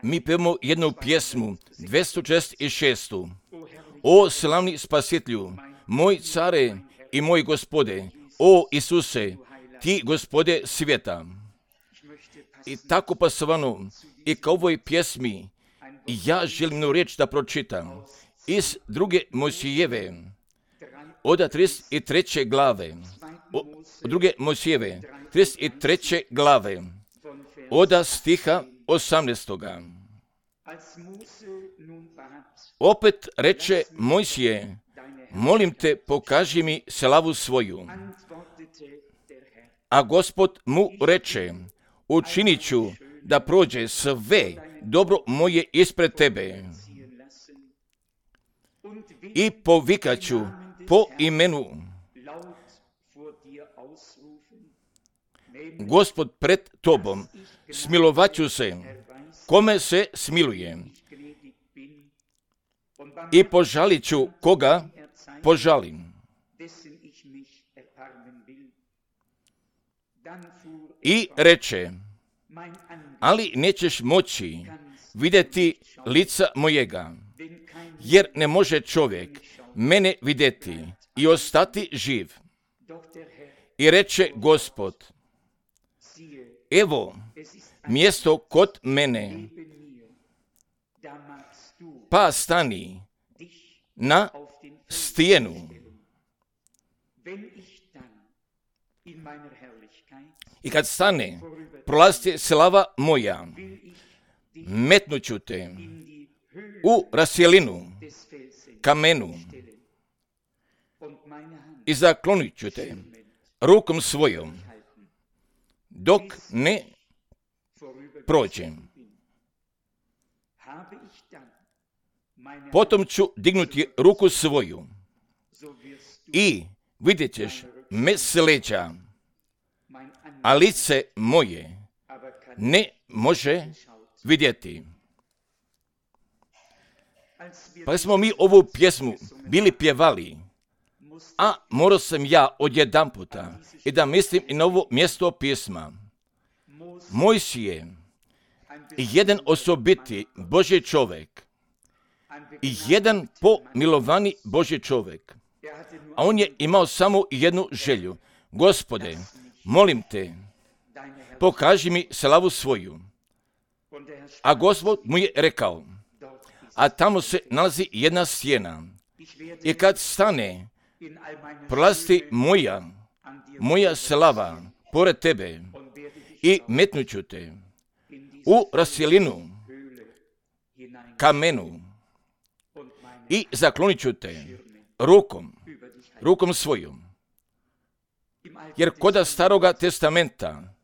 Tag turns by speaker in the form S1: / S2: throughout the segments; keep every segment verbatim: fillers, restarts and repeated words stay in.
S1: Mi pevamo jednu pjesmu, dvjesto četrdeset šest. O slavni spasitelju, moj care i moj gospode, o Isuse, ti gospode svijeta. I tako pasovano, i kao ovoj pjesmi, ja želim jednu riječ da pročitam iz druge Mojsijeve, od trideset treće glave, od druge Mojsijeve, trideset treće glave, od stiha osamnaestoga. Opet reče Mojsije, molim te, pokaži mi slavu svoju. A Gospod mu reče, učinit ću da prođe sve dobro moje ispred tebe i povikat ću po imenu. Gospod pred tobom, smilovat ću se, kome se smiluje, i požalit ću koga požalim. I reče, ali nećeš moći vidjeti lica mojega, jer ne može čovjek mene vidjeti i ostati živ. I reče Gospod, evo mjesto kod mene, pa stani na stijenu. I kad stane, prolazi slava moja, metnut ću te u rasjelinu, kamenu, i zaklonit ću te rukom svojom, dok ne prođem. Potom ću dignuti ruku svoju i vidjet ćeš me s leđa, a lice moje ne može vidjeti. Pa smo mi ovu pjesmu bili pjevali, a morao sam ja odjedan puta i da mislim i na ovo mjesto pisma. Mojsije, jedan osobiti Božji čovjek i jedan pomilovani Božji čovjek, a on je imao samo jednu želju. Gospode, molim te, pokaži mi slavu svoju. A Gospod mu je rekao, a tamo se nalazi jedna stijena, i kad stane, prolazi moja, moja slava pored tebe i metnut ću te u rasjelinu, kamenu, i zaklonit ću te rukom, rukom svojom. Jer koda staroga testamenta,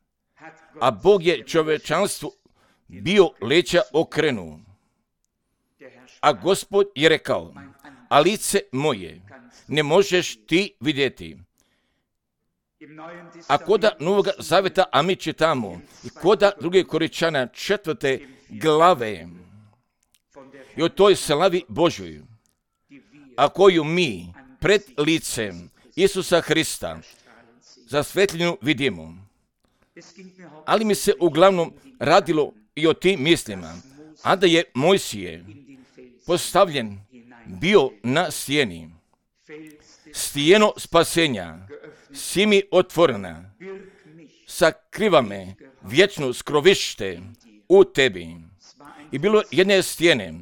S1: a Bog je čovječanstvu bio leđa okrenuo, a Gospod je rekao, a lice moje ne možeš ti vidjeti. A koda Novoga Zaveta, a mi čitamo, i koda druge Korinčana četvrte glave, i o toj slavi Božoj, a koju mi pred licem Isusa Hrista za svetljinu vidimo. Ali mi se uglavnom radilo i o tim mislima, a da je Mojsije postavljen bio na stijeni. Stijeno spasenja, si mi otvorena, sakriva me vječno skrovište u tebi. I bilo jedne stijene,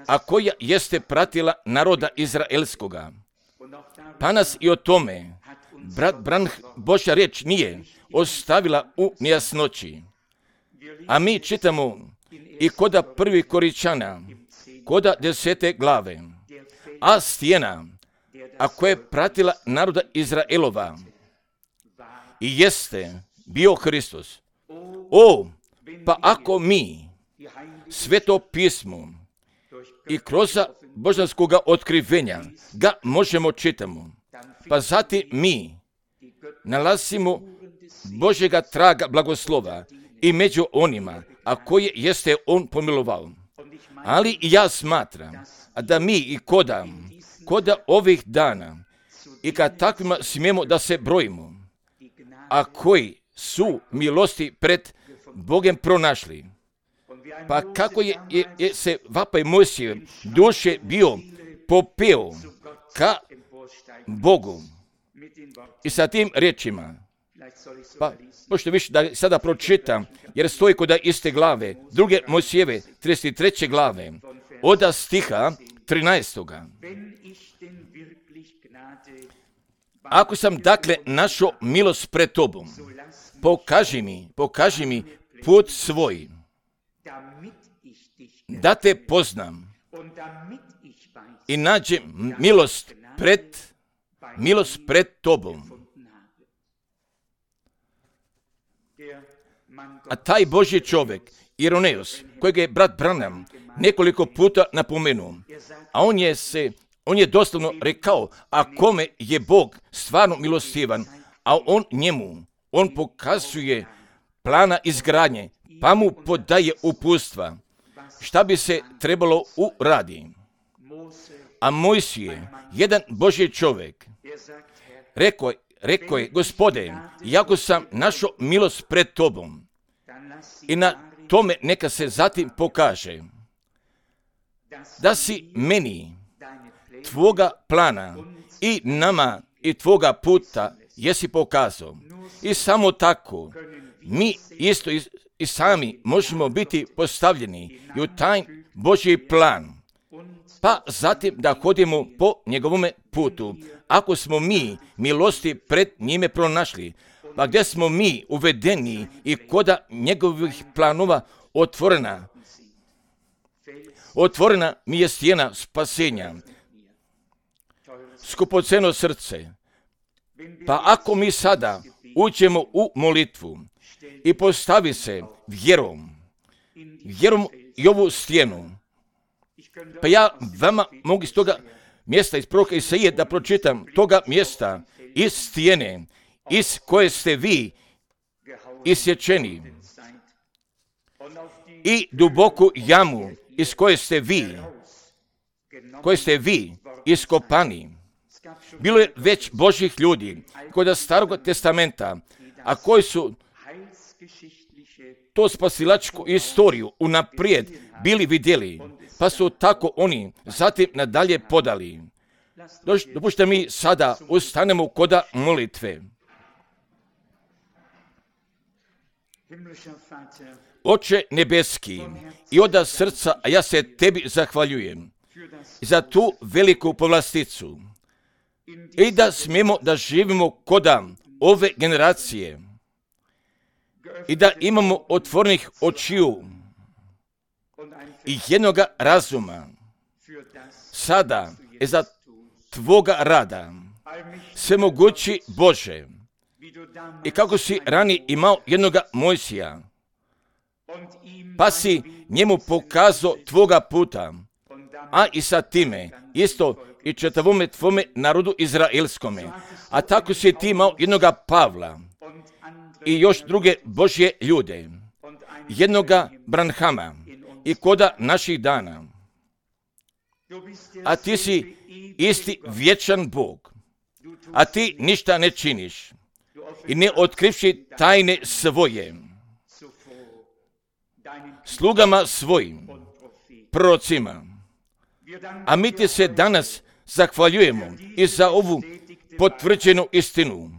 S1: a koja jeste pratila naroda izraelskoga. Pa nas i o tome, brat Branh, Božja riječ nije ostavila u nejasnoći. A mi čitamo i koda prvi Korinčana, koda desete glave, a stijena, a koja je pratila naroda Izraelova, i jeste bio Hristos. O, pa ako mi sveto pismo i kroz božanskoga otkrivenja ga možemo čitamo, pa zatim mi nalazimo Božjega traga blagoslova i među onima, a koje jeste on pomilovao. Ali i ja smatram, da mi i koda, koda ovih dana, i kad takvima smijemo da se brojimo, a koji su milosti pred Bogem pronašli, Pa kako je, je, je se vapaj Mojsije duše bio popeo ka Bogu i sa tim riječima. Pa možete više da sada pročitam, jer stoji kod iste glave, druge Mojsijeve, trideset treće glave, od stiha trinaestoga. Ako sam dakle našao milost pred tobom, pokaži mi, pokaži mi put svoj, da te poznam i nađem milost pred, milost pred tobom. A taj Božji čovjek, Ireneus, kojeg je brat Branham nekoliko puta napomenuo, a on je se, on je doslovno rekao, a kome je Bog stvarno milostivan, a on njemu, on pokazuje plana izgradnje, pa mu podaje uputstva, šta bi se trebalo uraditi. A Mojsije, jedan Božji čovjek, rekao je, rekao je, Gospode, jako sam našao milost pred tobom, i na tome neka se zatim pokaže da si meni tvoga plana i nama i tvoga puta jesi pokazao. I samo tako mi isto i, i sami možemo biti postavljeni i u taj Božji plan, pa zatim da hodimo po njegovome putu. Ako smo mi milosti pred njime pronašli, pa gdje smo mi uvedeni i koda njegovih planova otvorena, otvorena mi je stijena spasenja, skupoceno srce. Pa ako mi sada uđemo u molitvu i postavi se vjerom, vjerom i ovu stijenu, pa ja vama mogu iz toga mjesta iz proroka Isaije da pročitam toga mjesta iz stijene iz koje ste vi isječeni i duboku jamu iz koje ste vi, koje ste vi iskopani. Bilo je već Božjih ljudi kod Starog testamenta, a koji su to spasilačku istoriju unaprijed bili vidjeli, pa su tako oni zatim nadalje podali. Dopušte mi sada ustanemo koda molitve. Oče nebeski, i od srca ja se tebi zahvaljujem za tu veliku povlasticu i da smijemo da živimo koda ove generacije i da imamo otvorenih očiju i jednoga razuma sada je za tvoga rada, svemogući Bože, i kako si ranije imao jednoga Mojsija, pa si njemu pokazao tvoga puta, a i sa time isto i četavome tvome narodu izraelskome, a tako si ti imao jednoga Pavla i još druge Božje ljude, jednoga Branhama i koda naših dana. A ti si isti vječan Bog, a ti ništa ne činiš i ne otkrivši tajne svoje slugama svojim, prorocima. A mi ti se danas zahvaljujemo i za ovu potvrđenu istinu,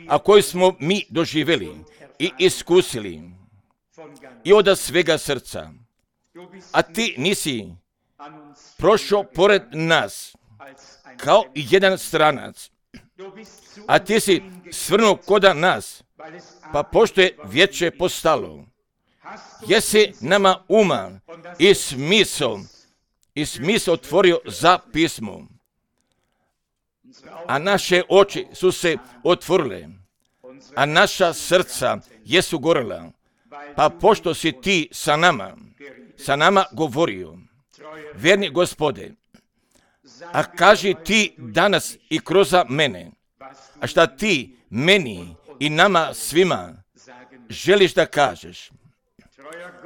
S1: a koju smo mi doživjeli i iskusili i od svega srca. A ti nisi prošao pored nas kao jedan stranac, a ti si svrnuo koda nas, pa pošto je vijeće postalo, jesi nama uma i smisao, i smisao otvorio za pismo, a naše oči su se otvorile, a naša srca jesu gorela, pa pošto si ti sa nama, sa nama govorio, verni Gospode, a kaži ti danas i kroz mene, a šta ti meni i nama svima želiš da kažeš.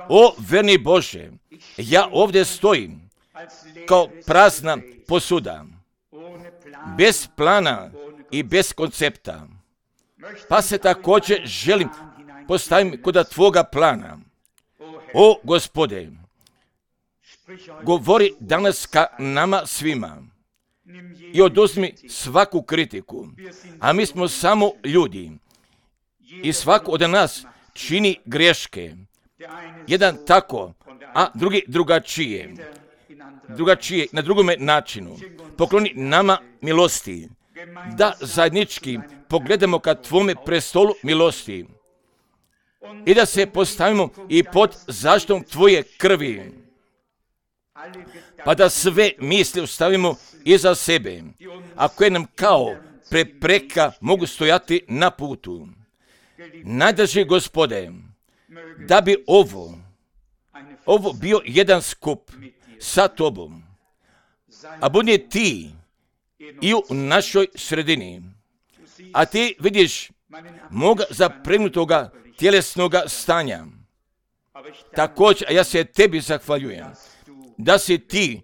S1: O verni Bože, ja ovdje stojim kao prazna posuda, bez plana i bez koncepta, pa se također želim postaviti kod tvoga plana. O Gospode, govori danas ka nama svima i oduzmi svaku kritiku, a mi smo samo ljudi i svako od nas čini greške. Jedan tako, a drugi drugačije. Drugačije, na drugome načinu. Pokloni nama milosti, da zajednički pogledamo ka Tvome prestolu milosti i da se postavimo i pod zaštitom Tvoje krvi, pa da sve misli ostavimo iza sebe, a koje nam kao prepreka mogu stojati na putu. Najdrži Gospode, da bi ovo, ovo bio jedan skup sa Tobom, a budi Ti i u našoj sredini. A Ti vidiš moga zapregnutoga tjelesnoga stanja. Također, a ja se Tebi zahvaljujem da si Ti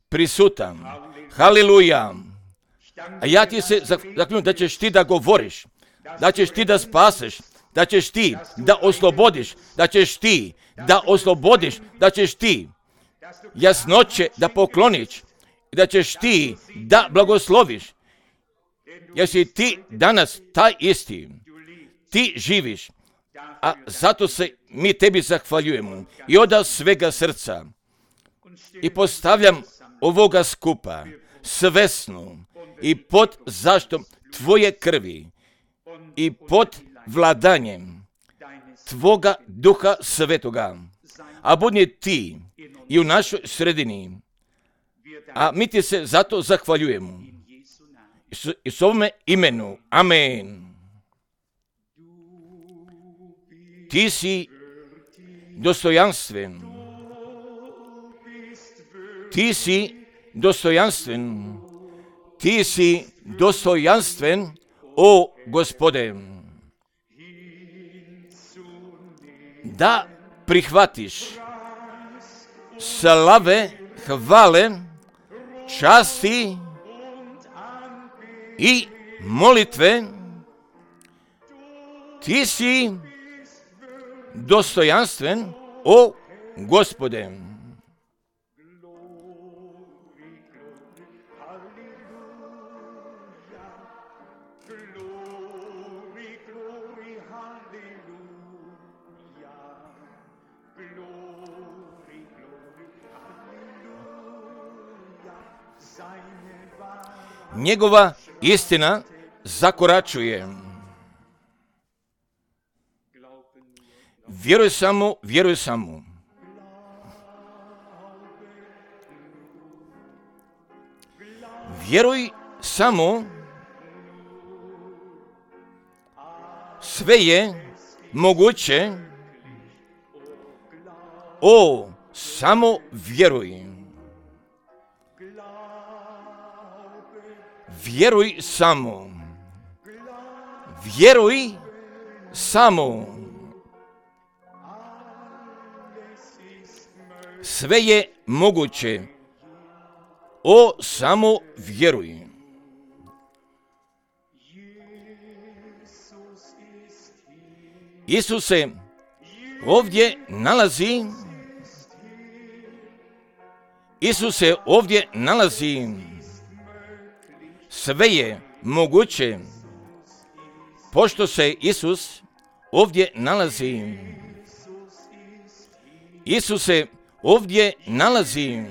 S1: prisutan. Haleluja. A ja Ti se zahvaljujem da ćeš Ti da govoriš, da ćeš Ti da spaseš, da ćeš Ti da oslobodiš, da ćeš Ti da oslobodiš, da ćeš Ti jasnoće da pokloniš i da ćeš Ti da blagosloviš. Jer si Ti danas taj isti. Ti živiš, a zato se mi Tebi zahvaljujemo i od svega srca. I postavljam ovoga skupa svesno i pod zaštitom Tvoje krvi i pod vladanjem Tvoga Duha Svetoga. A budi Ti i u našoj sredini. A mi Ti se zato zahvaljujemo. I s ovome imenu. Amen. Ti si dostojanstven. Ti si dostojanstven. Ti si dostojanstven, o Gospode. Da prihvatiš slave, hvale, časti i molitve. Ti si dostojanstven, o Gospode. Njegova istina zakoračuje. Vjeruj samo, vjeruj samo. Vjeruj samo. Sve je moguće. O, samo vjeruj. Vjeruj samo. Vjeruj samo. Sve je moguće. O, samo vjeruj. Isus se ovdje nalazi. Isus se ovdje nalazi. Sve je moguće, pošto se Isus ovdje nalazi. Isus se ovdje nalazi.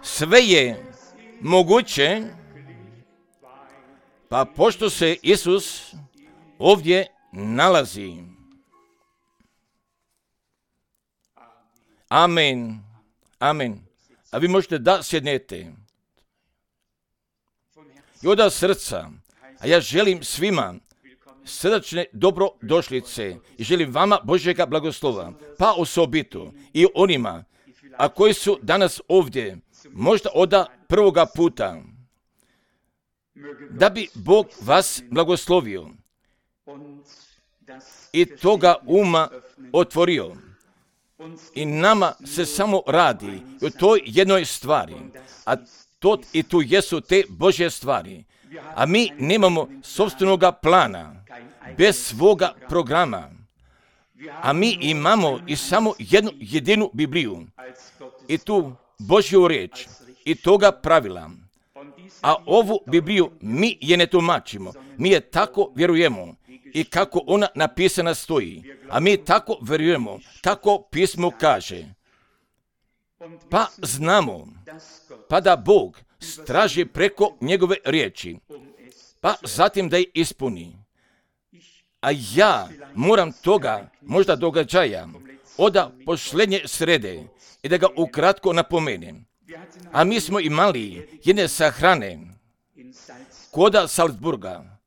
S1: Sve je moguće, pa pošto se Isus ovdje nalazi. Amen. Amen. A vi možete da sjednete. I od srca, a ja želim svima srdačne dobrodošlice i želim vama Božjega blagoslova, pa osobito i onima, a koji su danas ovdje, možda od prvoga puta, da bi Bog vas blagoslovio i toga uma otvorio. I nama se samo radi o toj jednoj stvari, a to i tu jesu te Božje stvari. A mi nemamo sopstvenoga plana, bez svoga programa. A mi imamo i samo jednu jedinu Bibliju i tu Božju riječ i toga pravila. A ovu Bibliju mi je ne tumačimo, mi je tako vjerujemo i kako ona napisana stoji, a mi tako vjerujemo kako pismo kaže. Pa znamo, pa da Bog straži preko njegove riječi, pa zatim da je ispuni. A ja moram toga, možda događaja, od posljednje srede i da ga ukratko napomenem. A mi smo imali jedne sahrane koda Salzburga.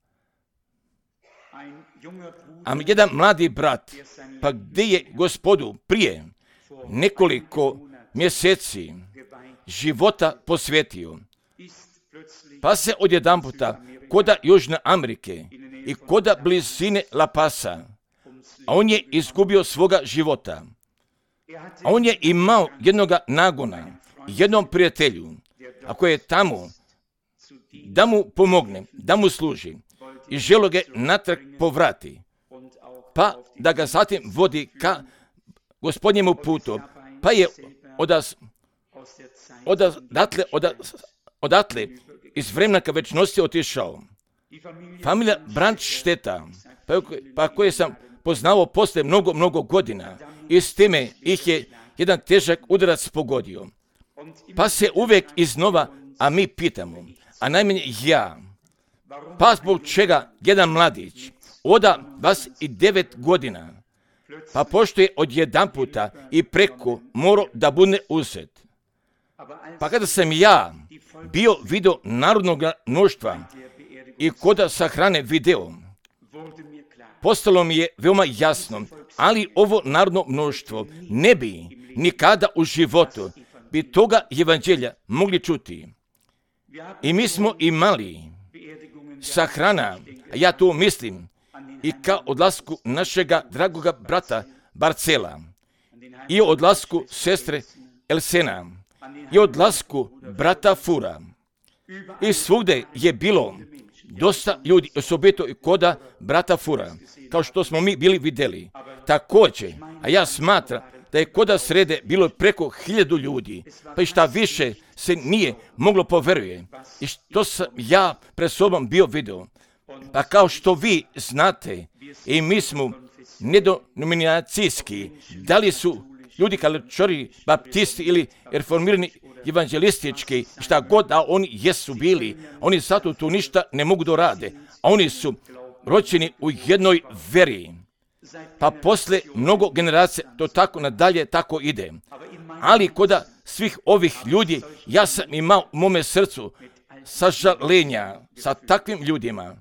S1: A jedan mladi brat, pa gdje je Gospodu prije nekoliko mjeseci života posvetio, pa se odjedanputa koda Južne Amerike i koda blizine La Pasa, a on je izgubio svoga života. A on je imao jednoga nagona, jednom prijatelju, ako je tamo, da mu pomogne, da mu služi i želo ga natrag povrati, pa da ga zatim vodi ka Gospodnjemu putu, pa je odas, odatle, odas, odatle iz vremena ka večnosti otišao. Familija Brandšteta, pa, pa koje sam poznao posle mnogo, mnogo godina, i s time ih je jedan težak udarac pogodio. Pa se uvijek iznova, a mi pitamo, a najmanje ja, pa zbog čega jedan mladić oda dvadeset devet godina, pa pošto je odjedanputa i preko morao da bude uzet. Pa kada sam ja bio video narodnog mnoštva i koda sahrane video, postalo mi je veoma jasno, ali ovo narodno mnoštvo ne bi nikada u životu bi toga evanđelja mogli čuti. I mi smo imali sahrana, a ja to mislim, i ka odlasku našega dragoga brata Barcela, i odlasku sestre Elsena, i odlasku brata Fura. I svugde je bilo dosta ljudi, osobito i koda brata Fura, kao što smo mi bili vidjeli. Također, a ja smatram da je koda srede bilo preko hiljadu ljudi, pa i šta više se nije moglo poveruje. I što sam ja pred sobom bio vidio. Pa kao što vi znate, i mi smo nedenominacijski, da li su ljudi katoličari, baptisti ili reformirani evanđelistički, šta god da oni jesu bili, oni zato tu ništa ne mogu da rade, a oni su rođeni u jednoj veri. Pa posle mnogo generacija to tako nadalje tako ide. Ali koda svih ovih ljudi, ja sam imao u mome srcu sažalenja sa takvim ljudima.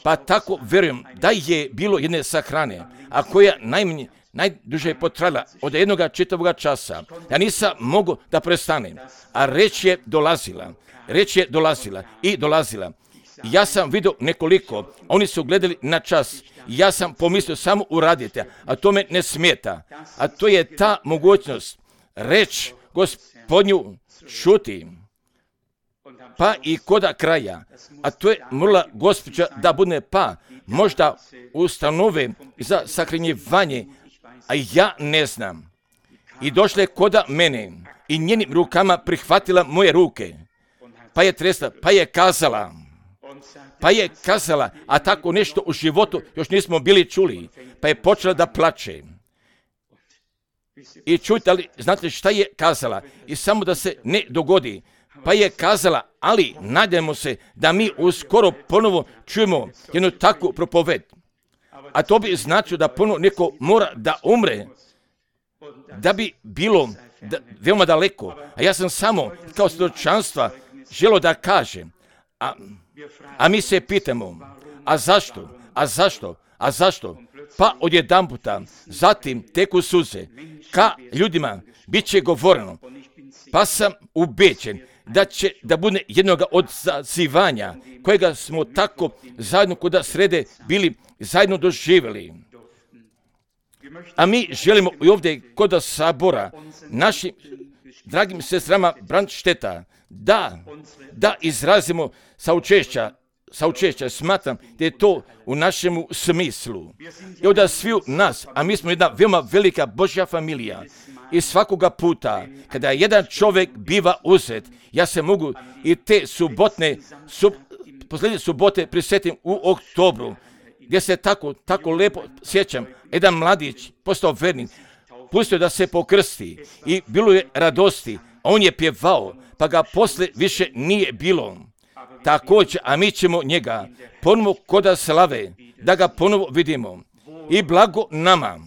S1: Pa tako verujem da je bilo jedne sahrane, a koja najmanje, najduže je potrajala od jednoga čitavoga časa. Ja nisam mogu da prestanem, a reč je dolazila, reč je dolazila i dolazila. Ja sam vidio nekoliko, oni su gledali na čas, ja sam pomislio samo uradite, a to me ne smeta. A to je ta mogućnost, reč Gospodnju čuti. Pa i koda kraja, a to je morala gospođa da bude pa možda ustanove za sahranjivanje, a ja ne znam. I došla je koda mene i njenim rukama prihvatila moje ruke, pa je tresla, pa je kazala, pa je kazala, a tako nešto u životu još nismo bili čuli, pa je počela da plače. I čujte, ali znate šta je kazala? I samo da se ne dogodi, pa je kazala, ali nadajmo se da mi uskoro ponovo čujemo jednu takvu propoved. A to bi značilo da ponovo neko mora da umre, da bi bilo da, veoma daleko. A ja sam samo kao svjedočanstva želio da kažem, a, a mi se pitamo, a zašto, a zašto, a zašto? Pa odjedanputa, zatim teku suze, ka ljudima bit će govoreno, pa sam ubeđen da će da bude jednoga od zazivanja kojega smo tako zajedno koda srede bili zajedno doživjeli. A mi želimo i ovdje koda sabora našim dragim sestrama Brandšteta da, da izrazimo saučešća saučešća, smatram da je to u našemu smislu. I onda svi nas, a mi smo jedna veoma velika Božja familija, i svakoga puta kada jedan čovjek biva uzet, ja se mogu i te subotne, sub, posljednje subote prisjetim u oktobru, gdje se tako, tako lepo sjećam, jedan mladić postao vernik, pustio da se pokrsti i bilo je radosti, on je pjevao, pa ga posle više nije bilo. Također, a mi ćemo njega ponovo koda slave, da ga ponovo vidimo. I blago nama,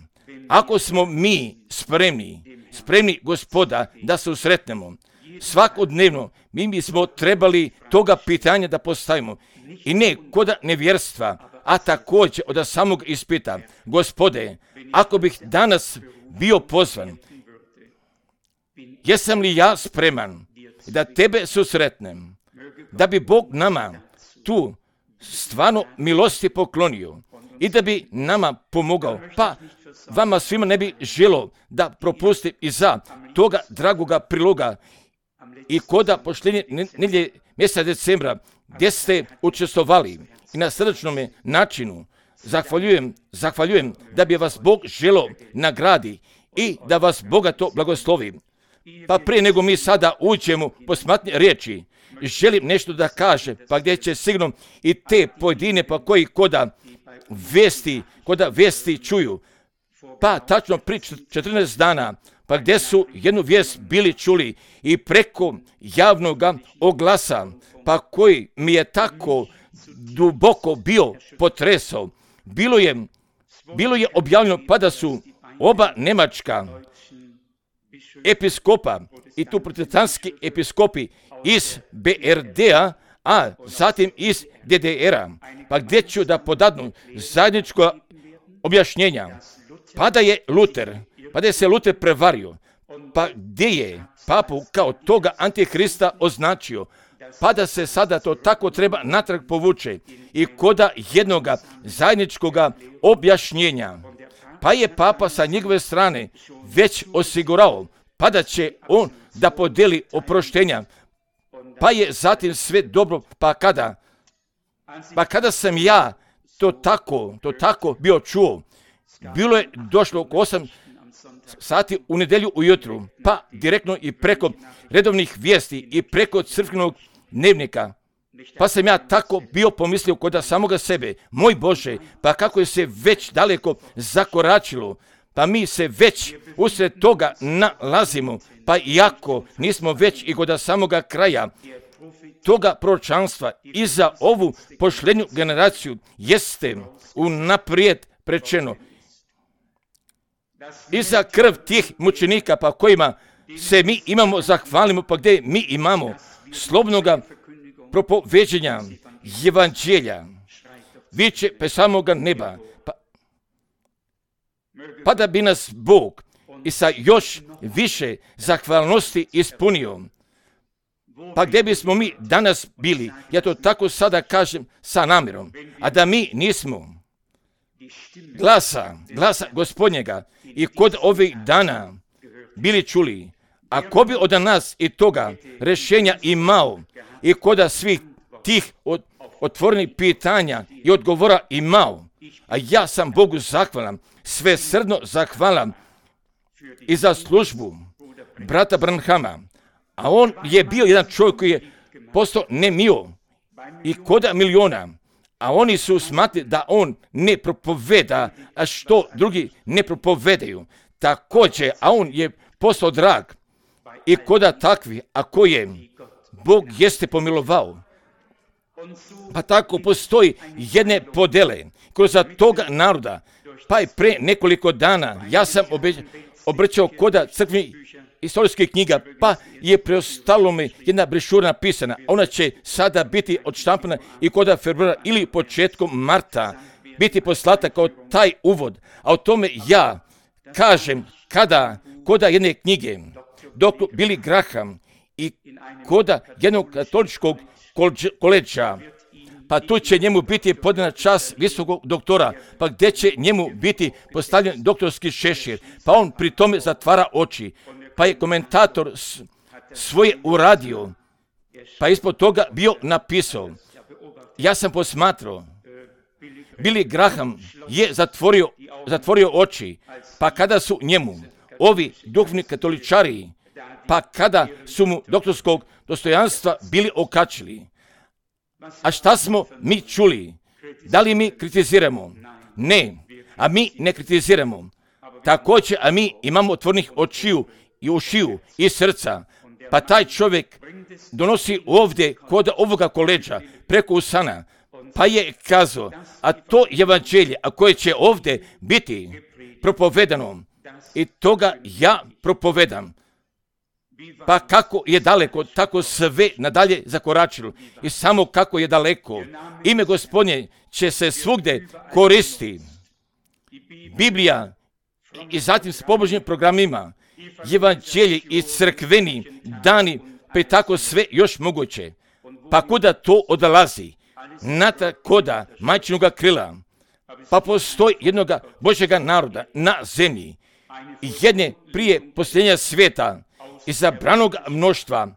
S1: ako smo mi spremni, spremni Gospoda da se usretnemo, svakodnevno mi bismo trebali toga pitanja da postavimo. I ne koda nevjerstva, a također od samog ispita. Gospode, ako bih danas bio pozvan, jesam li ja spreman da tebe susretnem, da bi Bog nama tu stvarno milosti poklonio i da bi nama pomogao, pa vama svima ne bi želo da propustim i za toga dragoga priloga i koda poštenje nedjelje mjeseca decembra gdje ste učestvovali i na srdačnom načinu zahvaljujem, zahvaljujem da bi vas Bog želo nagradi i da vas bogato blagoslovi. Pa prije nego mi sada uđemo po smatnje riječi, želim nešto da kaže, pa gdje će sigurno i te pojedine pa koji koda vesti, koda vesti čuju, pa tačno pri četrnaest dana, pa gdje su jednu vijest bili čuli i preko javnog oglasa, pa koji mi je tako duboko bio potresao, bilo je, bilo je objavljeno pa da su oba njemačka episkopa i tu protestantski episkopi iz B R D-a, a zatim iz D D R-a, pa gdje ću da podadnu zajedničko objašnjenja, pa da je Luter, pa da je se Luter prevario, pa gdje je papu kao toga antihrista označio, pa da se sada to tako treba natrag povuče i koda jednoga zajedničkoga objašnjenja, pa je papa sa njegove strane već osigurao, pa da će on da podeli oproštenja, pa je zatim sve dobro, pa kada, pa kada sam ja to tako, to tako bio čuo, bilo je došlo oko osam sati u nedjelju ujutru, pa direktno i preko redovnih vijesti i preko crkvenog dnevnika, pa sam ja tako bio pomislio kod samoga sebe, moj Bože, pa kako je se već daleko zakoračilo, pa mi se već usred toga nalazimo, pa iako nismo već i kod samoga kraja toga proročanstva i za ovu pošljenju generaciju jeste unaprijed prečeno. I za krv tih mučenika pa kojima se mi imamo zahvalimo, pa gdje mi imamo slobodnoga propoveđenja evanđelja, viče pe samoga neba, pa, pa da bi nas Bog i sa još više zahvalnosti ispunio. Pa gdje bismo mi danas bili, ja to tako sada kažem sa namjerom, a da mi nismo glasa, glasa Gospodnjega i kod ovih dana bili čuli, a ko bi od nas i toga rješenja imao i kod svih tih od, otvorenih pitanja i odgovora imao, a ja sam Bogu zahvalan, sve srdno zahvalan i za službu brata Branhama, a on je bio jedan čovjek koji je postao nemio i koda miliona, a oni su smatrali da on ne propoveda, a što drugi ne propovedaju. Također, a on je postao drag i koda takvi, a koje Bog jeste pomilovao. Pa tako postoji jedne podele kroz toga naroda, pa i pre nekoliko dana ja sam obrćao koda crkvenih istorijskih knjiga, pa je preostalo mi jedna brešura napisana. Ona će sada biti odštampana i koda februara ili početkom marta biti poslata kao taj uvod. A o tome ja kažem kada koda jedne knjige doktor Billy Graham i koda jednog katoličkog koleđa, pa tu će njemu biti podana čast visokog doktora, pa gdje će njemu biti postavljen doktorski šešir, pa on pri tome zatvara oči, pa je komentator svoje uradio, pa ispod toga bio napisao, ja sam posmatrao, Billy Graham je zatvorio, zatvorio oči, pa kada su njemu ovi duhovni katoličari, pa kada su mu doktorskog dostojanstva bili okačili, a šta smo mi čuli? Da li mi kritiziramo? Ne, a mi ne kritiziramo. Također, a mi imamo otvornih očiju i ušiju i srca, pa taj čovjek donosi ovdje kod ovoga koleđa preko usana, pa je kazao, a to evanđelje, a koje će ovdje biti propovedano, i toga ja propovedam. Pa kako je daleko, tako sve nadalje zakoračilo. I samo kako je daleko, ime Gospodnje će se svugdje koristi. Biblija i zatim s pobožnim programima, evanđelje i crkveni dani, pa tako sve još moguće. Pa kuda to odlazi? Natrag koda majčinoga krila. Pa postoji jednoga Božjega naroda na zemlji, jedne prije posljednja svijeta, izabranog mnoštva,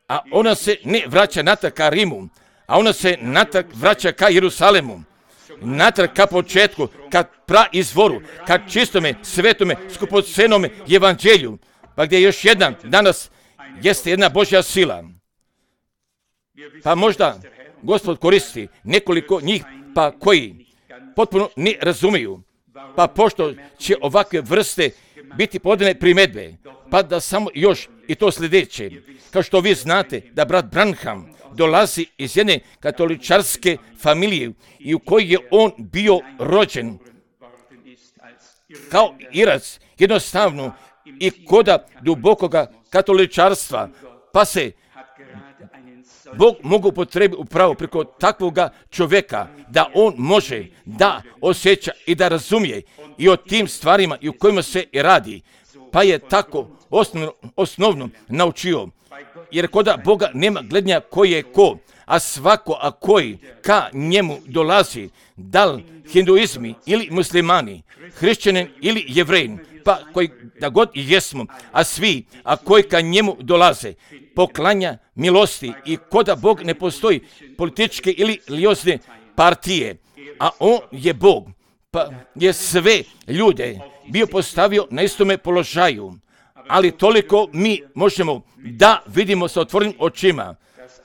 S1: a ona se ne vraća natrag ka Rimu, a ona se natrag vraća ka Jerusalemu, natrag ka početku, ka praizvoru, ka čistome, svetome, skupocenome evanđelju, pa gdje još jedna danas jeste jedna Božja sila. Pa možda Gospod koristi nekoliko njih, pa koji potpuno ne razumiju, pa pošto će ovakve vrste biti podane primjedbe, pa da samo još i to sljedeće, kao što vi znate da brat Branham dolazi iz jedne katoličarske familije i u kojoj je on bio rođen kao Irac, jednostavno i koda dubokoga katoličarstva, pa se Bog mogu potrebiti upravo preko takvoga čovjeka da on može da osjeća i da razumije i o tim stvarima i u kojima se i radi. Pa je tako osnovno, osnovno naučio. Jer koda Boga nema gledanja koji je ko, a svako a koji ka njemu dolazi, da li hinduizmi ili muslimani, hrišćanin ili jevrejin, pa koji da god i jesmo, a svi a koji ka njemu dolaze, poklanja milosti i koda Bog ne postoji političke ili religiozne partije, a on je Bog, pa je sve ljude bio postavio na istome položaju, ali toliko mi možemo da vidimo sa otvorenim očima,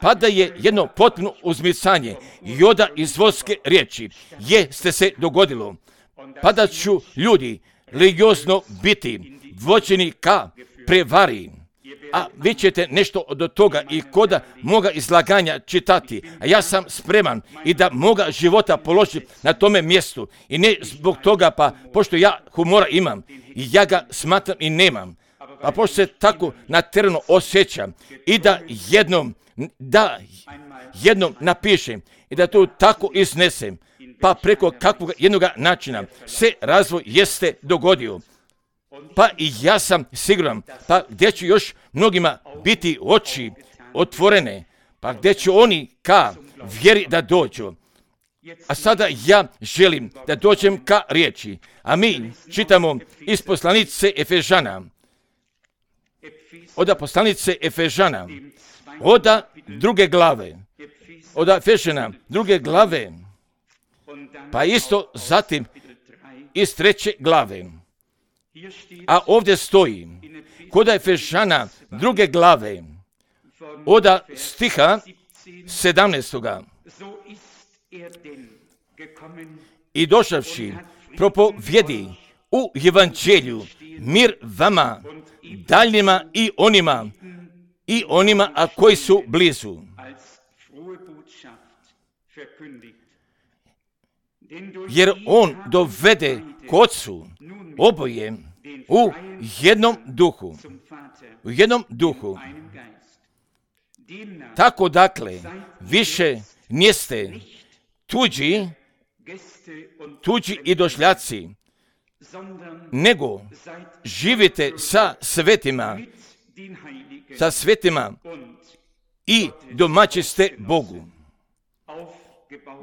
S1: pa da je jedno potpuno uzmicanje joda iz vodske riječi jeste se dogodilo, pa da ću ljudi religiozno biti vođeni ka prevari. A vi ćete od od toga i koda moga izlaganja čitati, a ja sam spreman i da moga života položim na tome mjestu. I ne zbog toga, pa pošto ja humora imam i ja ga smatram i nemam, a pošto se tako naterano osjećam i da jednom, da jednom napišem i da to tako iznesem, pa preko kakvog jednog načina se razvoj jeste dogodio. Pa i ja sam siguran, pa gdje će još mnogima biti oči otvorene, pa gdje će oni ka vjeri da dođu. A sada ja želim da dođem ka riječi, a mi čitamo iz poslanice Efežana, od poslanice Efežana, od druge glave, od Efežana druge glave, pa isto zatim iz treće glave. A ovdje stoji, kod Efežana druge glave, od stiha sedamnaestoga. I došavši propovjedi u evanđelju mir vama, daljnjima i onima, i onima a koji su blizu. Jer on dovede k Otcu oboje u jednom duhu. U jednom duhu. Tako dakle, više niste tuđi, tuđi i došljaci, nego živite sa svetima, sa svetima i domaći ste Bogu.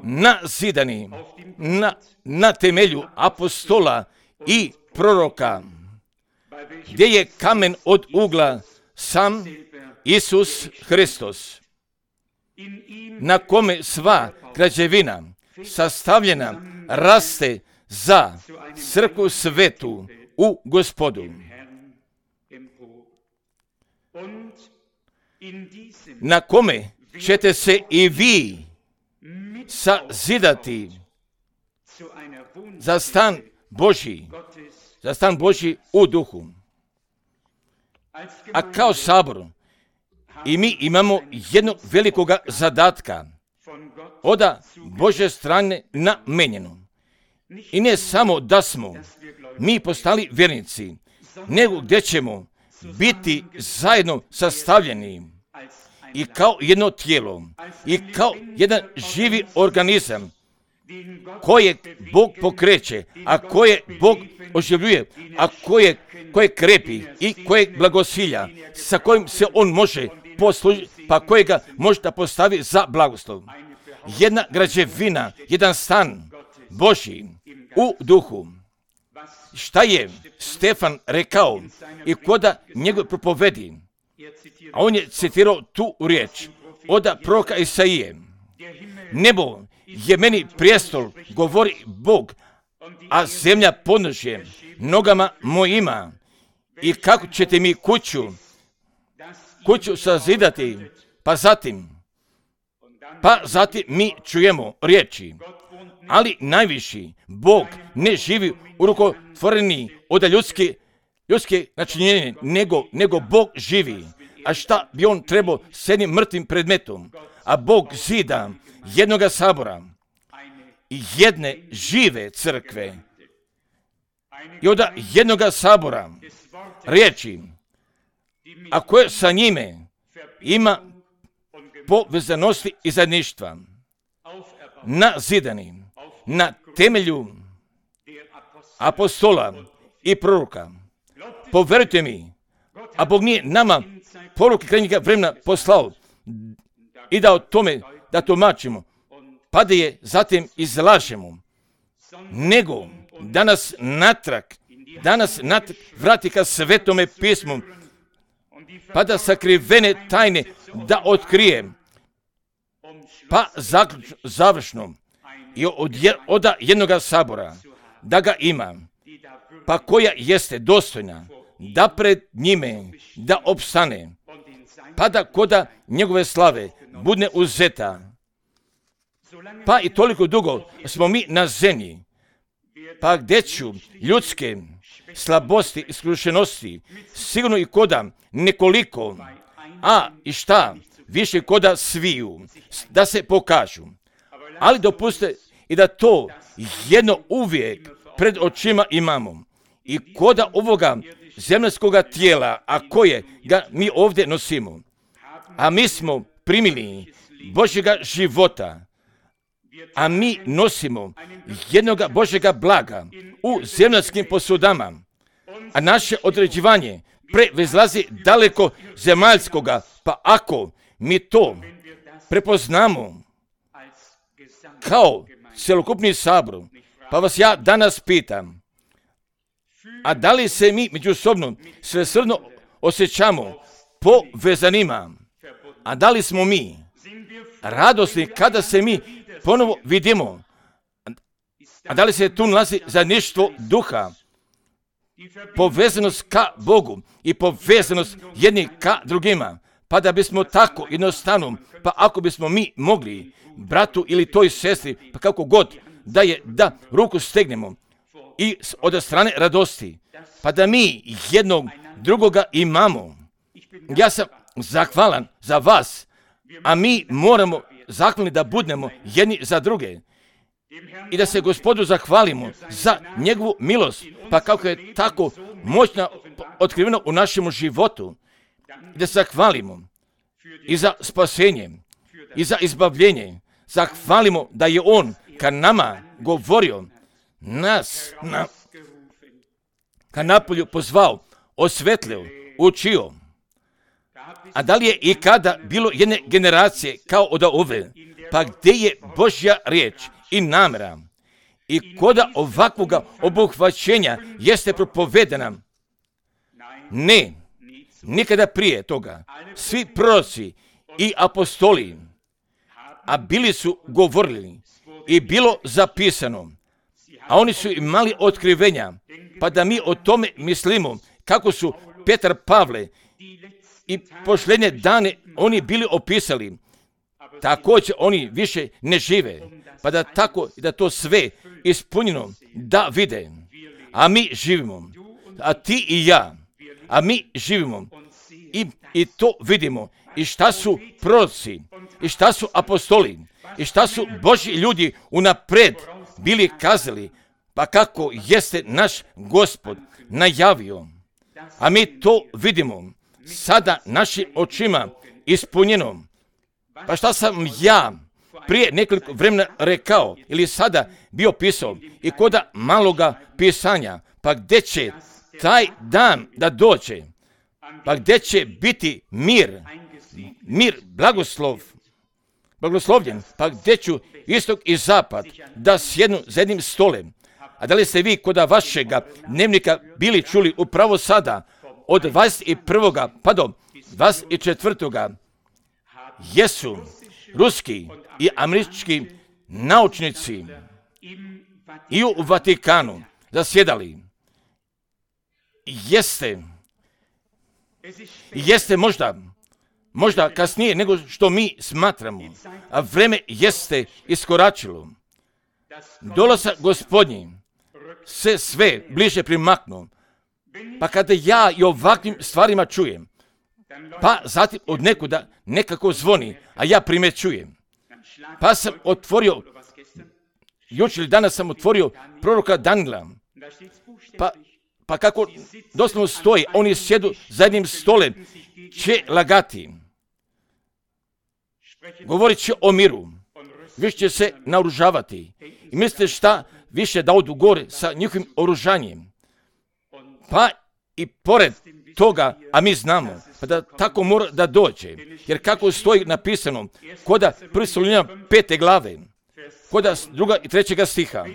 S1: Nazidani na, na temelju apostola i proroka, gdje je kamen od ugla sam Isus Hristos. na kome sva građevina sastavljena raste za crkvu svetu u Gospodu. Na kome ćete se i vi sazidati za stan Božji, za stan Božji u duhu. A kao sabor i mi imamo jednog velikoga zadatka od Božje strane namenjeno. I ne samo da smo mi postali vjernici, nego gdje ćemo biti zajedno sastavljeni i kao jedno tijelo i kao jedan živi organizam kojeg Bog pokreće, a koje Bog oživljuje, a koje, koje krepi i kojeg blagosilja, sa kojim se on može poslužiti, pa kojega može da postavi za blagoslov. Jedna građevina, jedan stan Božji u duhu. Šta je Stefan rekao i koda njegov propovedi? A on je citirao tu riječ od proroka Isaije. Nebo je meni prijestol, govori Bog, a zemlja podnožje nogama mojima. I kako ćete mi kuću, kuću sazidati, pa zatim, pa zatim mi čujemo riječi. Ali najviši Bog ne živi u rukotvoreni od ljudske, ljudske načinjenje, nego, nego Bog živi. A šta bi on trebao s jednim mrtvim predmetom? A Bog zida jednoga sabora i jedne žive crkve. I od jednoga sabora riječi, a koje sa njime ima povezanosti i zajedništva, nazidani na temelju apostola i proroka. Poverujte mi, a Bog nije nama poruke krajnjega vremena poslao i da o tome da tumačimo, pa da je zatim izlažemo, nego da nas natrag, da nas natrag vrati ka svetome pismu, pa da sakrivene tajne da otkrije, pa zaključno, završno i od, od jednoga sabora da ga ima, pa koja jeste dostojna da pred njime da opstane, pa da koda njegove slave bude uzeta. Pa i toliko dugo smo mi na zemlji, pa gdje ću ljudske slabosti i skrušenosti, sigurno i koda nekoliko, a i šta, više koda sviju, da se pokažu. Ali dopuste i da to jedno uvijek pred očima imamo. I koda ovoga zemljskoga tijela, a koje ga mi ovdje nosimo, a mi smo primili Božjega života, a mi nosimo jednoga Božjega blaga u zemljanskim posudama, a naše određivanje prevezlazi daleko zemaljskoga, pa ako mi to prepoznamo kao cjelokupni sabor, pa vas ja danas pitam, a da li se mi međusobno svesrdno osjećamo povezanima, a da li smo mi radosni kada se mi ponovo vidimo, a da li se tu nalazi zajedništvo duha, povezanost ka Bogu i povezanost jedni ka drugima, pa da bismo tako jednostavno, pa ako bismo mi mogli bratu ili toj sestri, pa kako god, da je da ruku stegnemo i od strane radosti, pa da mi jednog drugoga imamo. Ja sam zahvalan za vas, a mi moramo zahvalni da budemo jedni za druge i da se Gospodu zahvalimo za njegovu milost, pa kako je tako moćna otkrivena u našem životu, da se zahvalimo i za spasenje i za izbavljenje. Zahvalimo da je on ka nama govorio, nas na, ka napolju pozvao, osvetlio, učio. A da li je i kada bilo jedne generacije kao od ove, pa gdje je Božja riječ i namjera i koda ovakvoga obuhvaćenja jeste propovedena? Ne, nikada prije toga. Svi proroci i apostoli a bili su govorili i bilo zapisano, a oni su imali otkrivenja, pa da mi o tome mislimo, kako su Petar, Pavle i posljednje dane oni bili opisali, također oni više ne žive, pa da tako, da to sve ispunjeno da vide, a mi živimo, a ti i ja, a mi živimo i, i to vidimo, i šta su proroci, i šta su apostoli, i šta su Božji ljudi unapred bili kazali, pa kako jeste naš Gospod najavio, a mi to vidimo sada našim očima ispunjeno. Pa šta sam ja prije nekoliko vremena rekao ili sada bio pisao i koda maloga pisanja, pa gdje će taj dan da dođe, pa gdje će biti mir, mir, blagoslov, blagoslovljen, pa gdje ću istok i zapad da sjednu za jednim stolem. A da li ste vi koda vašega dnevnika bili čuli upravo sada od dvadeset prvoga pa do dvadeset četvrtoga jesu ruski i američki naučnici i u Vatikanu zasjedali. Jeste, jeste možda, možda kasnije nego što mi smatramo, a vreme jeste iskoračilo. Dolazak Gospodnji se sve bliže primaknu, pa kada ja i ovakvim stvarima čujem, pa zatim od nekuda nekako zvoni, a ja primjećujem. Pa sam otvorio, jučer ili danas sam otvorio proroka Danila, pa, pa kako doslovno stoji, oni sjedu za jednim stolem, će lagati. Govorit će o miru, više će se naoružavati. I mislite šta više da odu gore sa njihovim oružanjem. Pa i pored toga, a mi znamo, pa da tako mora da dođe, jer kako stoji napisano, koda prvi Solunjana pete glave, koda druga i trećega stiha,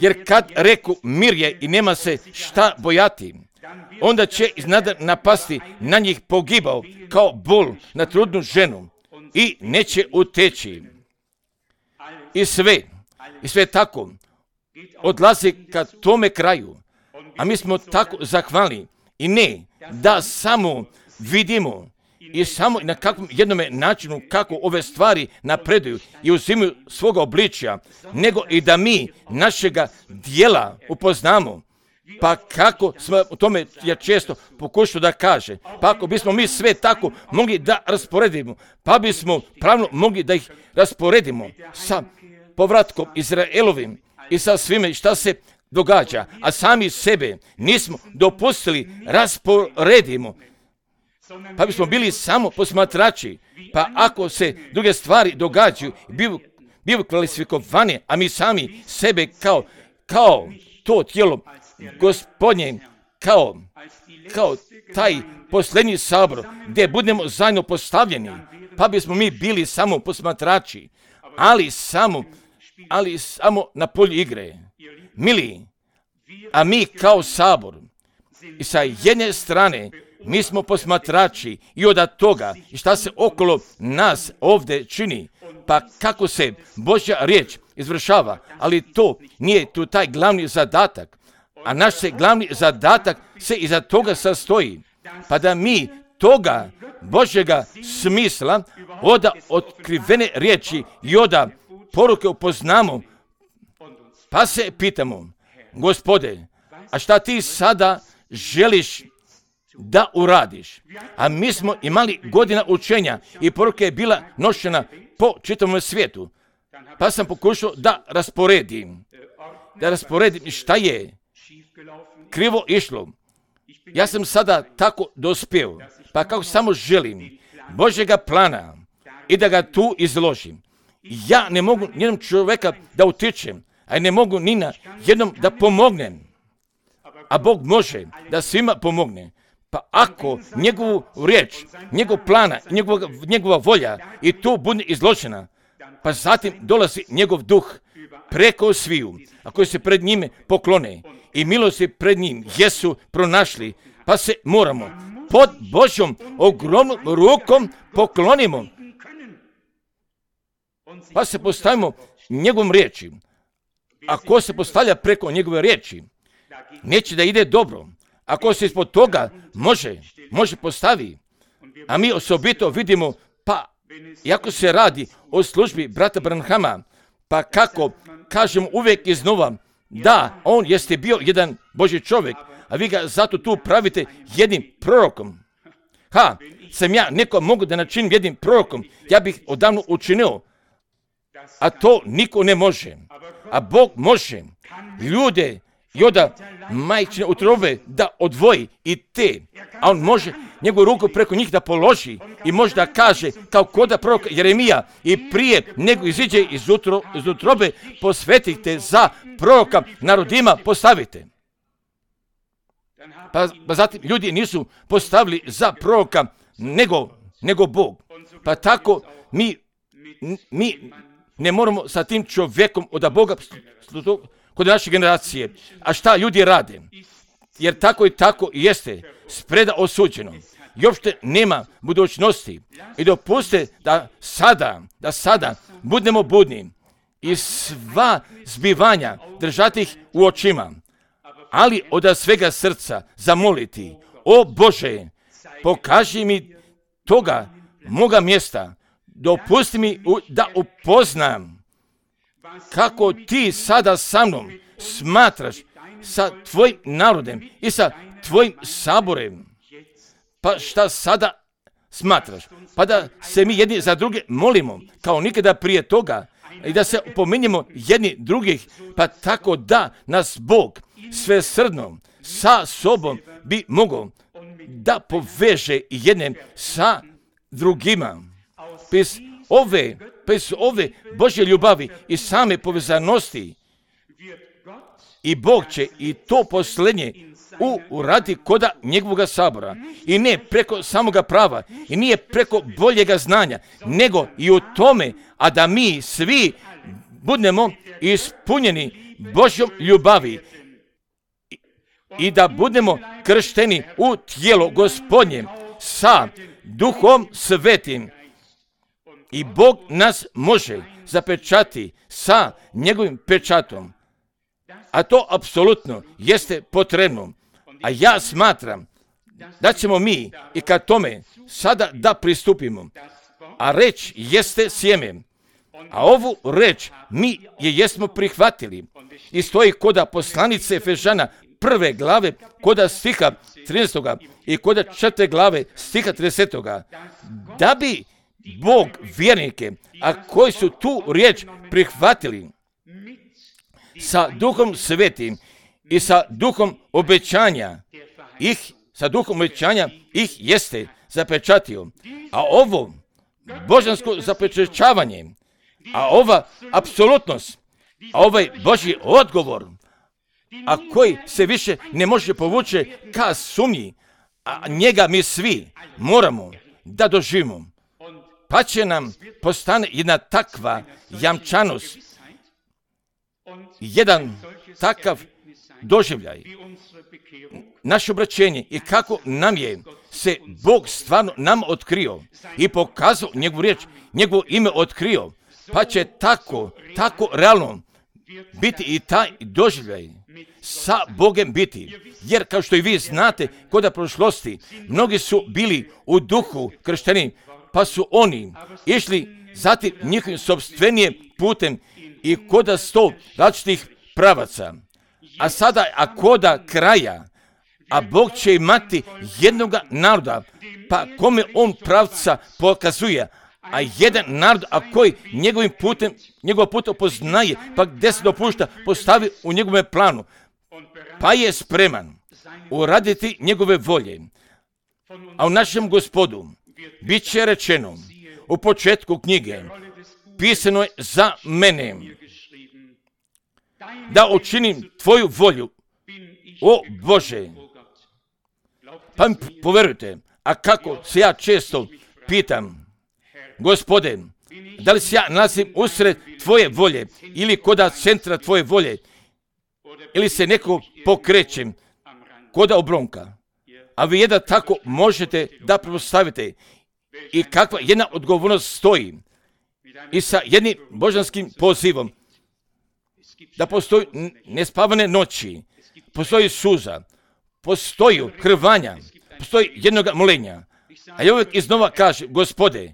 S1: jer kad reku mir je i nema se šta bojati, onda će iznada napasti na njih pogibao kao bol na trudnu ženu i neće uteći. I sve, i sve tako odlazi ka tome kraju, a mi smo tako zahvalni i ne da samo vidimo i samo na kakvom jednome načinu kako ove stvari napreduju i uzimaju svoga obličja, nego i da mi našega dijela upoznamo. Pa kako smo u tome, ja često pokušao da kaže, pa ako bismo mi sve tako mogli da rasporedimo, pa bismo pravno mogli da ih rasporedimo sa povratkom Izraelovim i sa svime šta se događa, a sami sebe nismo dopustili rasporedimo, pa bismo bili samo posmatrači, pa ako se druge stvari događaju, bivu, bivu kvalifikovane, a mi sami sebe kao, kao to tijelo Gospodnje, kao, kao taj posljednji sabor, gdje budemo zajedno postavljeni, pa bismo mi bili samo posmatrači, ali samo, ali samo na polju igre. Mili, a mi kao sabor, i sa jedne strane, mi smo posmatrači i od toga i šta se okolo nas ovdje čini, pa kako se Božja riječ izvršava, ali to nije tu taj glavni zadatak, a naš se glavni zadatak se iza toga sastoji, pa da mi toga Božjega smisla od otkrivene riječi i od poruke upoznamo, pa se pitamo, Gospode, a šta ti sada želiš da uradiš? A mi smo imali godina učenja i poruka je bila nošena po čitavom svijetu. Pa sam pokušao da rasporedim, da rasporedim šta je krivo išlo. Ja sam sada tako dospio, pa kako samo želim Božjega plana i da ga tu izložim. Ja ne mogu nijednom čovjeka da utičem, a ne mogu ni na jednom da pomognem. A Bog može da svima pomogne. Pa ako njegovu riječ, njegov plana, njegova, njegova volja i tu bude izložena, pa zatim dolazi njegov duh preko sviju, a koji se pred njime poklone i milosti pred njim jesu pronašli, pa se moramo pod Božjom ogromnom rukom poklonimo. pa se postavimo njegovom riječi. Ako se postavlja preko njegove riječi, neće da ide dobro. Ako se ispod toga može, može postavi. A mi osobito vidimo, pa iako se radi o službi brata Branhama, pa kako kažem uvijek iznova, da, on jeste bio jedan Božji čovjek, a vi ga zato tu pravite jednim prorokom. Ha, sam ja neko mogu da načinim jednim prorokom, ja bih odavno učinio, a to niko ne može. A Bog može ljude i od majčine utrobe da odvoji i te, a on može njegovu ruku preko njih da položi i može da kaže kao koda proroka Jeremija i prije nego iziđe iz, utro, iz utrobe posvetite za proroka narodima postavite. Pa, pa zatim ljudi nisu postavili za proroka nego, nego Bog. Pa tako mi, mi ne moramo sa tim čovjekom od Boga kod naše generacije. A šta ljudi rade? Jer tako i tako jeste spreda osuđeno. I uopšte nema budućnosti. I dopuste da sada, da sada budemo budni i sva zbivanja držati ih u očima. Ali od svega srca zamoliti, o Bože, pokaži mi toga moga mjesta, dopusti mi da upoznam kako ti sada sa mnom smatraš sa tvojim narodem i sa tvojim saborem. Pa šta sada smatraš? Pa da se mi jedni za druge molimo, kao nikada prije toga, i da se upominjemo jedni drugih, pa tako da nas Bog svesrdno sa sobom bi mogao da poveže jedne sa drugima. Bez ove, bez ove Božje ljubavi i same povezanosti i Bog će i to posljednje u, uradi koda njegovog sabora. I ne preko samoga prava, i nije preko boljega znanja, nego i u tome, a da mi svi budemo ispunjeni Božjom ljubavi i, i da budemo kršteni u tijelo Gospodnje sa Duhom Svetim. I Bog nas može zapečati sa njegovim pečatom. A to apsolutno jeste potrebno. A ja smatram da ćemo mi i ka tome sada da pristupimo. A reč jeste sjeme. A ovu reč mi je jesmo prihvatili. I stoji koda poslanice Efežana prve glave, koda stiha trinaestog i koda četvrte glave stiha tridesetog. Da bi Bog vjernike, a koji su tu riječ prihvatili sa Duhom Svetim i sa Duhom obećanja, ih, sa Duhom obećanja ih jeste zapečatio. A ovo božansko zapečaćavanje, a ova apsolutnost, a ovaj Božji odgovor, a koji se više ne može povući ka sumnji, a njega mi svi moramo da doživimo. Pa će nam postane jedna takva jamčanost, jedan takav doživljaj, naše obraćenje i kako nam je se Bog stvarno nam otkrio i pokazao njegovu riječ, njegovo ime otkrio, pa će tako, tako realno biti i taj doživljaj sa Bogem biti. Jer kao što i vi znate, koda prošlosti, mnogi su bili u duhu kršteni, pa su oni išli zatim njihovim sopstvenije putem i koda sto različitih pravaca. A sada, a koda kraja, a Bog će imati jednoga naroda, pa kome on pravca pokazuje, a jedan narod, a koji njegovim putem, njegov put opoznaje, pa gdje se dopušta, postavi u njegovom planu, pa je spreman uraditi njegove volje. A u našem Gospodu bit će rečeno u početku knjige, pisano je za mene, da učinim tvoju volju, o Bože. Pa mi poverujte, a kako se ja često pitam, Gospode, da li se ja nalazim usred tvoje volje ili koda centra tvoje volje, ili se neko pokrećem koda obronka, a vi jedan tako možete da prepostavite i kakva jedna odgovornost stoji i sa jednim božanskim pozivom. Da postoji nespavane noći, postoji suza, postoji krvanja, postoji jednoga molenja. A ja uvijek iznova kažem, Gospode,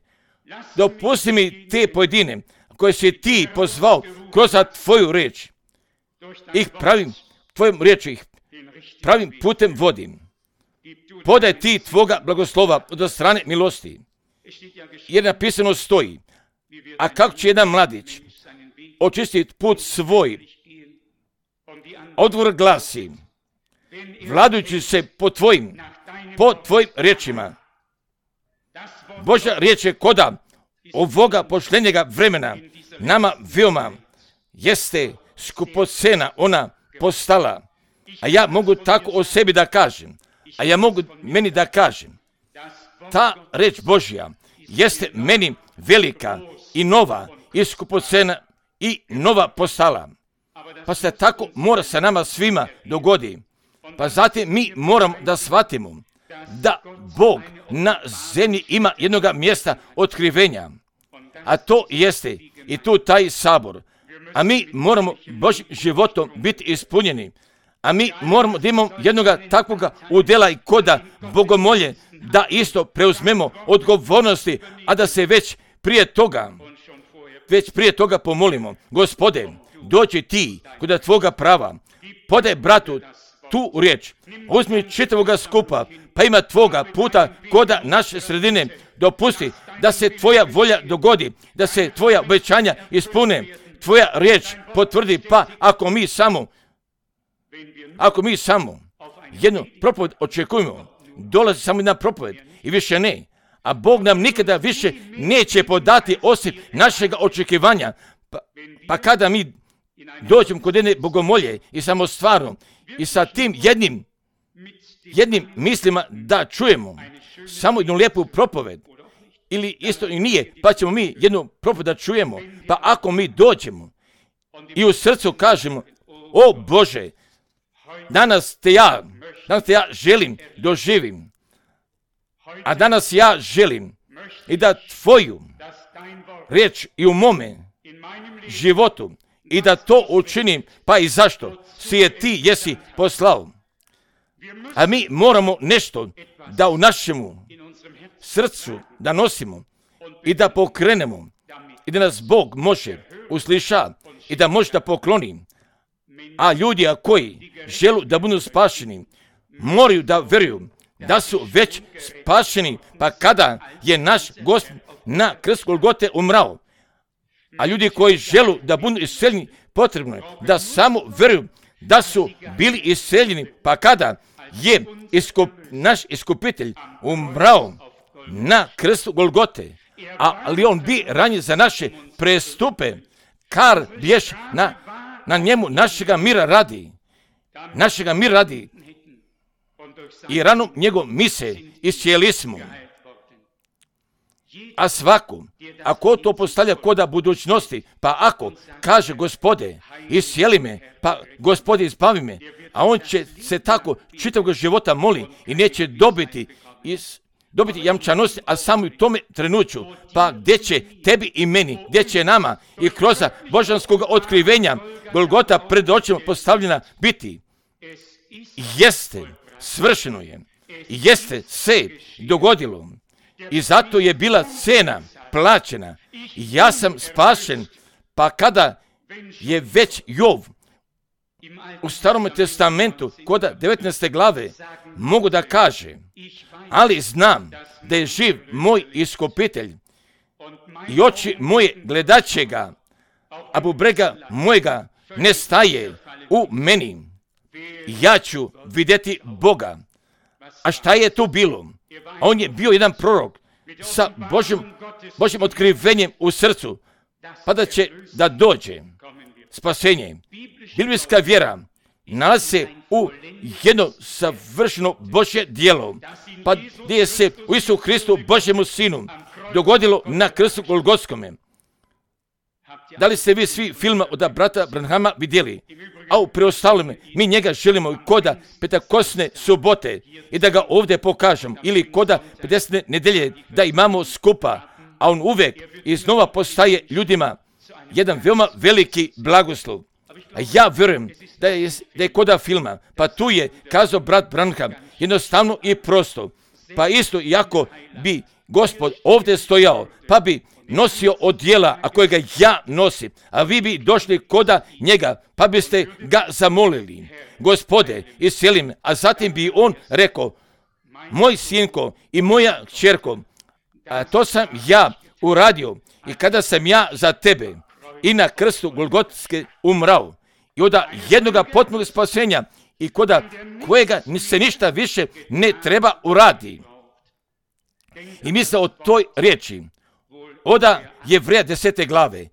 S1: dopusti mi te pojedine koje si ti pozvao kroz tvoju riječ. Ih pravim, tvojom riječu ih pravim putem vodim. Podaj ti tvoga blagoslova od strane milosti. Jer napisano stoji, a kako će jedan mladić očistiti put svoj, odgovor glasi, vladajući se po tvojim, po tvojim riječima. Božja riječ je koda ovoga poštenjega vremena nama veoma jeste skupocena ona postala. A ja mogu tako o sebi da kažem, a ja mogu meni da kažem, ta reč Božja jeste meni velika i nova i skupocena i nova postala. Pa se tako mora sa nama svima dogodi. Pa zatim mi moramo da shvatimo da Bog na zemlji ima jednoga mjesta otkrivenja, a to jeste i tu taj sabor. A mi moramo Božjim životom biti ispunjeni, a mi moramo da imamo jednoga takvoga udjela i koda bogomolje, da isto preuzmemo odgovornosti, a da se već prije toga, već prije toga pomolimo. Gospode, dođi ti kod tvoga prava, podaj bratu tu riječ, uzmi čitavoga skupa, pa ima tvoga puta koda naše sredine, dopusti da se tvoja volja dogodi, da se tvoja obećanja ispune, tvoja riječ potvrdi, pa ako mi samo, ako mi samo jednu propoved očekujemo, dolazi samo jedna propoved i više ne, a Bog nam nikada više neće podati osim našega očekivanja, pa, pa kada mi dođemo kod jedne bogomolje i samo stvarno i sa tim jednim, jednim mislima da čujemo samo jednu lijepu propoved, ili isto i nije, pa ćemo mi jednu propoved da čujemo, pa ako mi dođemo i u srcu kažemo, o Bože, danas te ja, danas te ja želim doživim, a danas ja želim i da tvoju riječ i u mome životu i da to učinim, pa i zašto si je ti jesi poslao. A mi moramo nešto da u našemu srcu da nosimo i da pokrenemo i da nas Bog može usliša i da može da pokloni. A ljudi koji žele da budu spašeni moraju da vjeruju da su već spašeni, pa kada je naš Gospod na krstu Golgote umrao. A ljudi koji žele da budu isceljeni, potrebno je da samo vjeruju da su bili isceljeni, pa kada je iskup, naš iskupitelj umrao na krstu Golgote, a, ali on bi ranjen za naše prestupe, kar biješ na, na njemu našega mira radi, našega mira radi, i ranom njegov mise iscijeli smo. A svako, ako to postavlja koda budućnosti, pa ako kaže Gospode, iscijeli me, pa Gospode izbavi me, a on će se tako čitavog života moli i neće dobiti, is, dobiti jamčanost, a samo u tome trenuću, pa gdje će tebi i meni, gdje će nama i kroz božanskog otkrivenja Golgota pred očima postavljena biti. Jeste, svršeno je, jeste se dogodilo. I zato je bila cena plaćena. Ja sam spašen, pa kada je već Jov u Starom testamentu, koda devetnaeste glave, mogu da kaže, ali znam da je živ moj iskupitelj i oči moje gledaće ga, a bubrega mojega ne staje u meni. Ja ću vidjeti Boga. A šta je tu bilo? On je bio jedan prorok sa Božjim, Božjim otkrivenjem u srcu, pa da će da dođe spasenje. Biblijska vjera nalazi se u jedno savršeno Božje djelo, pa gdje se u Isu Hristu, Božjemu Sinu, dogodilo na krstu Golgotskome. Da li ste vi svi filma od brata Branhama vidjeli? A u preostalome, mi njega želimo i koda petakosne subote i da ga ovdje pokažem, ili koda pedesete nedelje da imamo skupa, a on uvijek iznova postaje ljudima jedan veoma veliki blagoslov. A ja vjerujem da je, da je koda filma, pa tu je kazao brat Branham, jednostavno i prosto. Pa isto, iako bi Gospod ovdje stojao, pa bi nosio odjela, a kojega ja nosim, a vi bi došli koda njega, pa biste ga zamolili, Gospode, iscijeli me, a zatim bi on rekao, moj sinko i moja kćerko, a to sam ja uradio i kada sam ja za tebe i na krstu Golgotske umrao i od jednoga potpunog spasenja i koda kojega se ništa više ne treba uradi. I misle o toj riječi, oda Jevreja desete glave,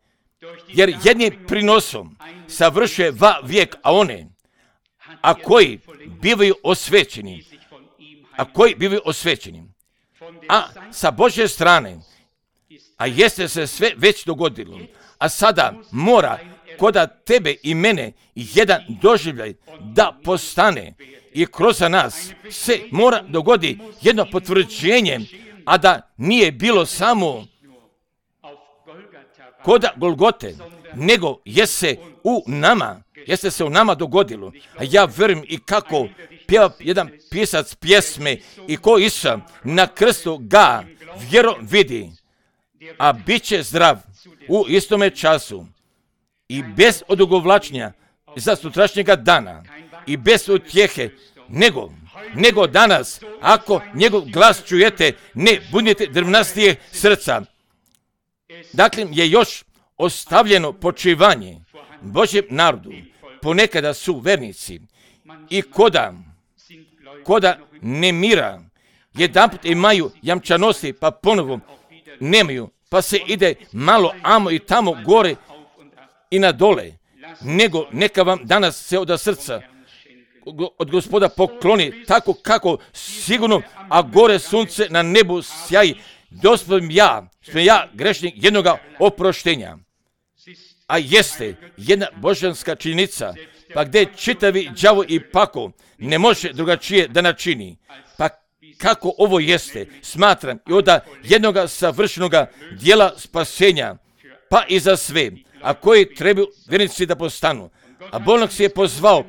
S1: jer jednim prinosom savršuje va vijek, a one, a koji bivaju osvećeni, a koji bivaju osvećeni, a sa Božje strane, a jeste se sve već dogodilo, a sada mora koda tebe i mene jedan doživljaj da postane i kroz nas se mora dogodi jedno potvrđenje, a da nije bilo samo koda Golgote, nego jeste u nama, jeste se u nama dogodilo. A ja vjerujem i kako pjeva jedan pisac pjesme i ko Isusa na krstu ga vjero vidi, a bit će zdrav u istome času i bez odugovlačenja za sutrašnjega dana i bez utjehe, nego, nego danas, ako njegov glas čujete, ne budite drvnastije srca. Dakle, je još ostavljeno počivanje Božjem narodu. Ponekada su vernici i koda, koda nemira, jedanput imaju jamčanosti, pa ponovo nemaju, pa se ide malo amo i tamo gore i na dole, nego neka vam danas se od srca od Gospoda pokloni tako kako sigurno, a gore sunce na nebu sjaji, dospem ja, sam ja grešnik jednoga oproštenja. A jeste jedna božanska činjenica, pa gdje čitavi đavo i pako ne može drugačije da načini. Pa kako ovo jeste, smatram i od jednoga savršenoga dijela spasenja, pa i za sve, a koji trebaju vjernici da postanu. A Bog se je pozvao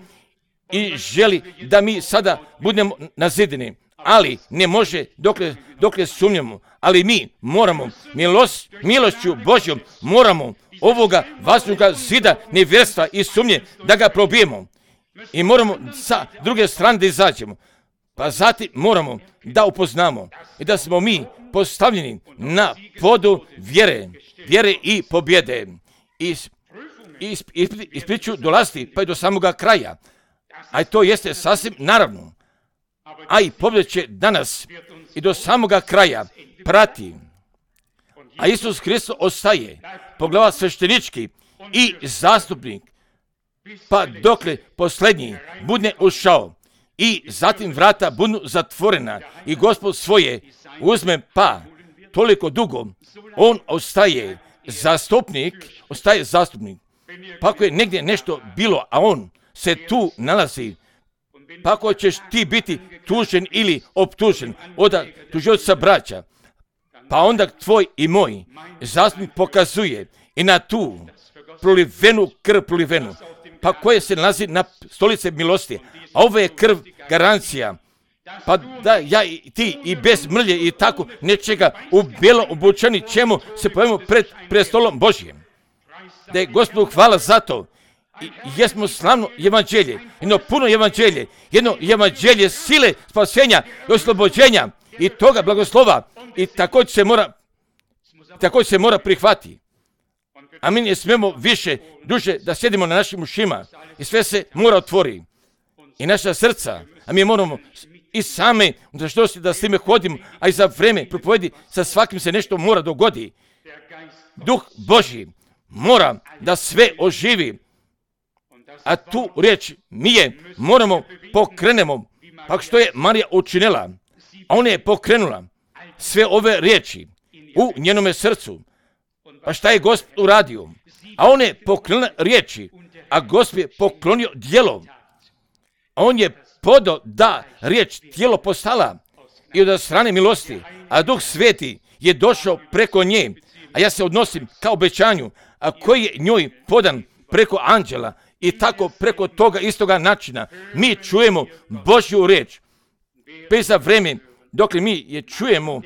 S1: i želi da mi sada budemo nazideni, ali ne može dokle, dokle sumnjamo, ali mi moramo milost, milošću Božjom moramo ovoga vaznoga zida nevjerstva i sumnje da ga probijemo i moramo sa druge strane da izađemo. Pa zatim moramo da upoznamo i da smo mi postavljeni na podu vjere, vjere i pobjede. I ispriču dolaziti pa i do samoga kraja. A to jeste sasvim naravno. A i pobjeda će danas i do samoga kraja prati. A Isus Hristos ostaje poglava sveštenički i zastupnik, pa dokle posljednji budne ušao i zatim vrata budu zatvorena i Gospod svoje uzme, pa toliko dugo on ostaje zastupnik, ostaje zastupnik. Pa ako je negdje nešto bilo, a on se tu nalazi, pa ako ćeš ti biti tužen ili optužen od tužioca braća, pa onda tvoj i moj zastupnik pokazuje i na tu prolivenu krv prolivenu, pa koje se nalazi na stolice milosti, a ovo je krv garancija, pa da ja i ti i bez mrlje i tako nečega u bijelo obučeni ćemo se pojavimo pred prestolom Božjem. Da je Gospodu hvala za to. I jesmo slavno evanđelje, jedno puno evanđelje, jedno evanđelje sile, spasenja i oslobođenja i toga blagoslova i također se mora, također se mora prihvati. A mi ne smijemo više, duže da sjedimo na našim ušima i sve se mora otvori. I naša srca, a mi moramo i same, za što da s time hodimo, a i za vreme propovedi, sa svakim se nešto mora dogodi. Duh Božji mora da sve oživi. A tu riječ mi je moramo pokrenemo. Pa što je Marija učinila? A ona je pokrenula sve ove riječi u njenome srcu. Pa šta je Gospod uradio? A on je pokrenula riječi, a Gospod je poklonio djelo. A on je podao da riječ tijelo postala i od strane milosti, a Duh Sveti je došao preko nje, a ja se odnosim ka obećanju, a koji je njoj podan preko anđela i tako preko toga istoga načina. Mi čujemo Božju riječ. Bez za vreme, dok mi je čujemo,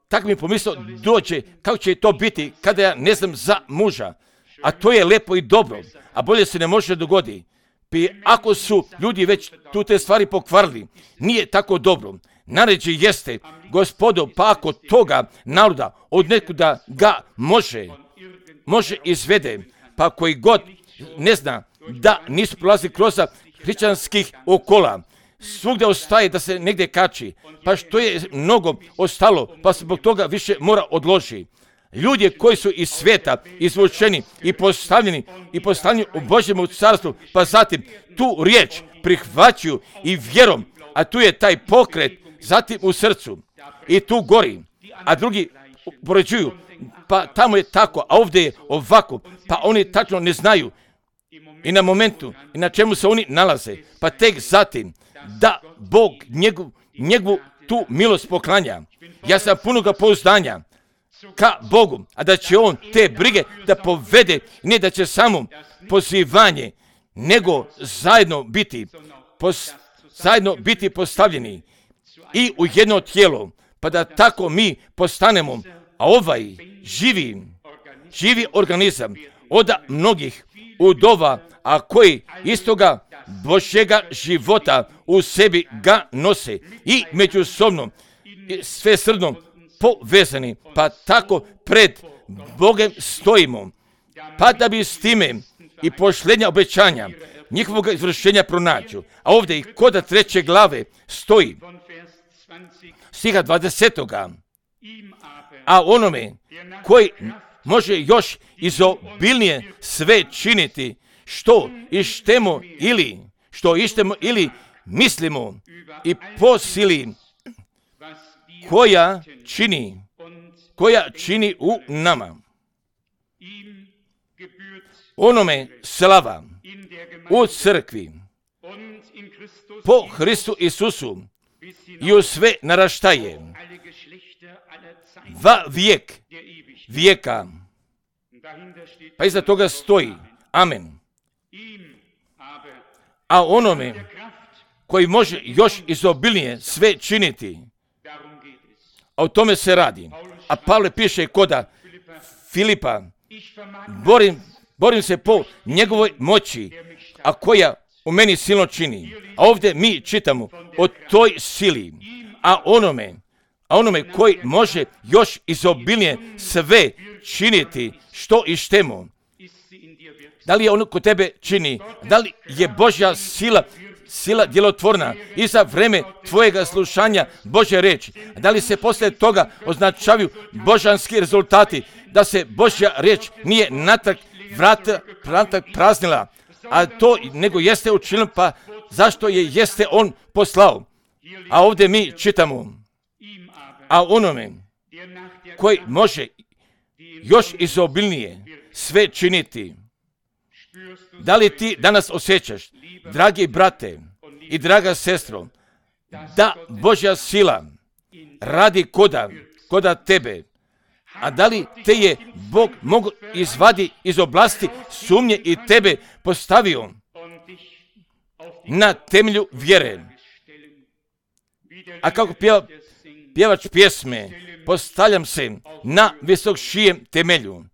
S1: tako mi pomislio dođe kako će to biti kada ja ne znam za muža. A to je lepo i dobro, a bolje se ne može dogoditi. Pi ako su ljudi već tu te stvari pokvarili, nije tako dobro. Naređe jeste, Gospodo, pa ako toga naroda od nekuda ga može, može izvede, pa koji god ne zna da nisu prolazili kroz hrišćanskih okola, svugdje ostaje da se negdje kači, pa što je mnogo ostalo, pa se zbog toga više mora odloži. Ljudi koji su iz svijeta izvučeni i postavljeni i postavljeni u Božjemu carstvu, pa zatim tu riječ prihvaćaju i vjerom, a tu je taj pokret, zatim u srcu i tu gori, a drugi poređuju, pa tamo je tako, a ovdje je ovako, pa oni tačno ne znaju i na momentu i na čemu se oni nalaze, pa tek zatim da Bog njegov, njegovu tu milost poklanja. Ja sam punoga pouzdanja ka Bogu, a da će On te brige da povede, ne da će samo pozivanje, nego zajedno biti, pos, zajedno biti postavljeni i u jedno tijelo, pa da tako mi postanemo, a ovaj živi, živi organizam od mnogih udova, a koji istoga Božjega života u sebi ga nose i međusobno sve srdno povezani, pa tako pred Bogem stojimo, pa da bi s time i pošljenja obećanja njihovog izvršenja pronađu. A ovdje i kod treće glave stoji stiha dvadesetoga. A onome koji može još izobilnije sve činiti što ištemo ili što ištemo ili mislimo i po sili koja čini koja čini u nama. Onome slava u crkvi po Hristu Isusu i u sve naraštaje va vijek vijeka. Pa iza toga stoji amen. A onome koji može još izobilnije sve činiti, a o tome se radi. A Pavle piše koda Filipa, borim, borim se po njegovoj moći, a koja u meni silno čini. A ovdje mi čitamo o toj sili, a onome, a onome koji može još izobilnije sve činiti što i štemo. Da li je ono kod tebe čini? Da li je Božja sila, sila djelotvorna i za vreme tvojega slušanja Božje reči? Da li se poslije toga označavaju božanski rezultati? Da se Božja riječ nije natrag vrata, vrata praznila, a to nego jeste učinilo, pa zašto je jeste on poslao? A ovdje mi čitamo, a onome koji može još izobilnije sve činiti. Da li ti danas osjećaš, dragi brate i draga sestro, da Božja sila radi koda, koda tebe, a da li te je Bog mogu izvadi iz oblasti sumnje i tebe postavio na temelju vjere? A kako pjeva, pjevač pjesme, postavljam se na visokšijem temelju.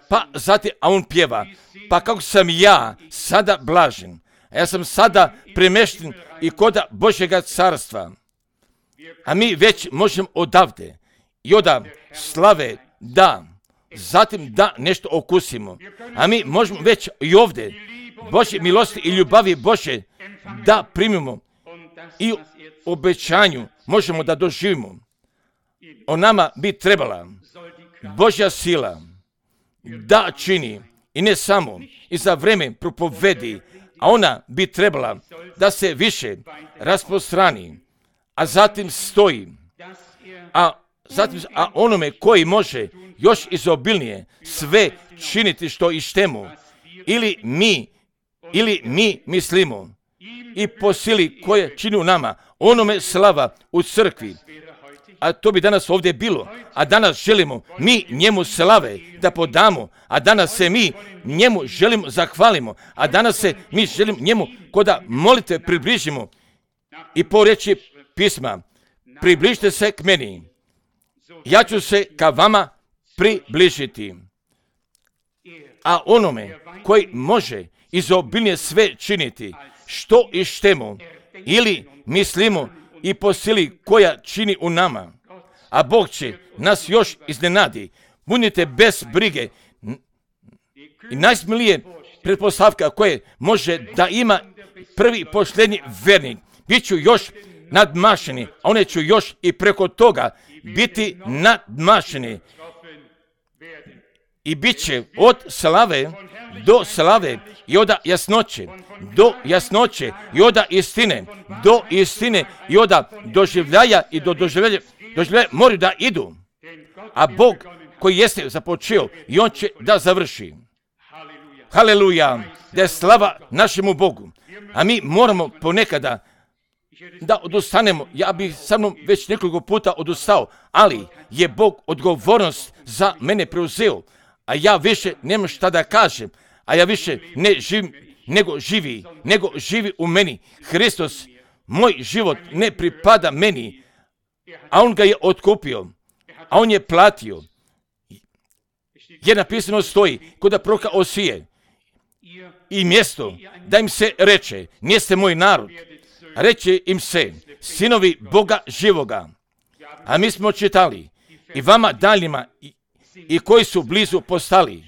S1: Pa zatim, a on pjeva, pa kako sam ja sada blažen, a ja sam sada premješten i koda Božjega carstva. A mi već možemo odavde i oda slave da, zatim da nešto okusimo. A mi možemo već i ovdje Božje milosti i ljubavi Božje da primimo i obećanju možemo da doživimo. O nama bi trebala Božja sila da čini i ne samo i za vreme propovedi, a ona bi trebala da se više rasprostrani, a zatim stoji, a zatim a onome koji može još izobilnije sve činiti što i štemu, ili mi, ili mi mislimo, i po sili koje čini u nama, onome slava u crkvi a to bi danas ovdje bilo, a danas želimo mi njemu slave da podamo, a danas se mi njemu želimo zahvalimo, a danas se mi želimo njemu koda molite približimo i po riječi pisma, približite se k meni, ja ću se ka vama približiti. A onome koji može izobilnije sve činiti, što i štemo, ili mislimo i po sili koja čini u nama, a Bog će nas još iznenadi. Budite bez brige. I najsmilije pretpostavka koje može da ima prvi posljednji vernik, bit ću još nadmašeni, a one ću još i preko toga biti nadmašeni. I bit će od slave do slave i od jasnoće do jasnoće i od istine do istine i od doživljaja i do doživljaja, doživljaja moraju da idu. A Bog koji jeste započeo i on će da završi. Haleluja, da je slava našemu Bogu. A mi moramo ponekada da odustanemo. Ja bih sa mnom već nekoliko puta odustao, ali je Bog odgovornost za mene preuzeo. A ja više nemam šta da kažem, a ja više ne živim, nego živi, nego živi u meni. Hristos, moj život ne pripada meni, a on ga je otkupio, a on je platio. Jer napisano stoji, kod proroka Osije, i mjesto da im se reče, niste moj narod, reče im se, sinovi Boga živoga. A mi smo čitali, i vama daljima, i, i koji su blizu postali,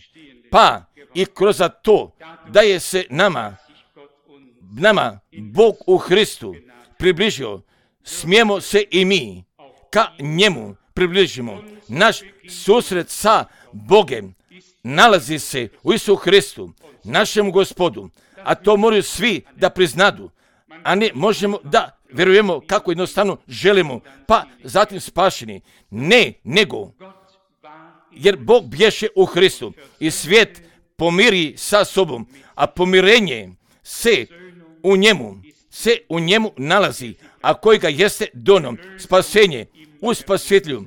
S1: pa i kroz to da je se nama, nama Bog u Hristu približio, smijemo se i mi ka njemu približimo. Naš susret sa Bogem nalazi se u Isu Hristu, našem Gospodu, a to moraju svi da priznadu, a ne možemo da vjerujemo kako jednostavno želimo, pa zatim spašeni. Ne, nego, jer Bog bješe u Hristu i svijet pomiri sa sobom, a pomirenje se u njemu, se u njemu nalazi, a koji ga jeste donom, spasenje u spasitelju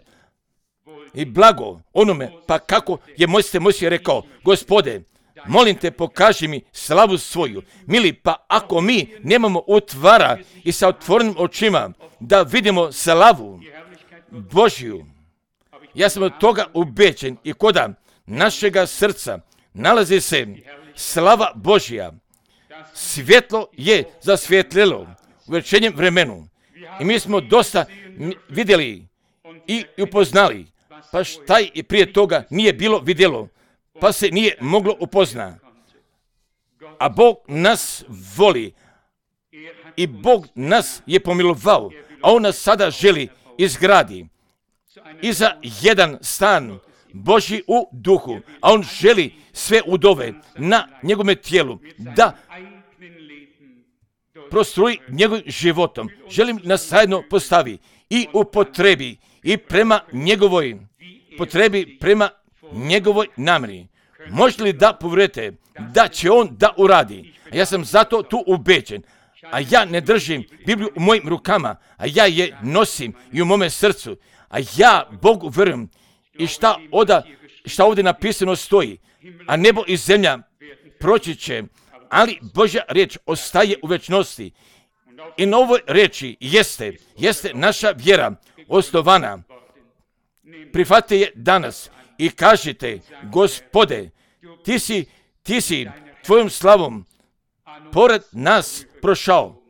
S1: i blago onome, pa kako je Mojsije Mojsije rekao, Gospode, molim te pokaži mi slavu svoju. Mili, pa ako mi nemamo utvara i sa otvorenim očima da vidimo slavu Božju, ja sam od toga ubeđen i koda našega srca nalazi se slava Božja. Svjetlo je zasvjetlilo u večernjem vremenu i mi smo dosta vidjeli i upoznali, pa šta i prije toga nije bilo vidjelo, pa se nije moglo upozna. A Bog nas voli i Bog nas je pomilovao, a on nas sada želi izgradi i za jedan stan Božji u duhu, a on želi sve udove na njegovome tijelu da prostruji njegovim životom. Želim nas zajedno postavi i upotrebi i prema njegovoj potrebi, prema njegovoj namjeri. Možete li da povjerujete da će on da uradi? A ja sam zato tu ubeđen. A ja ne držim Bibliju u mojim rukama, a ja je nosim i u mome srcu. A ja Bogu vjerujem i šta, oda, šta ovdje napisano stoji. A nebo i zemlja proći će, ali Božja riječ ostaje u večnosti. I na ovoj riječi jeste, jeste naša vjera osnovana. Prihvatite je danas i kažite, Gospode, ti si, ti si tvojom slavom pored nas prošao,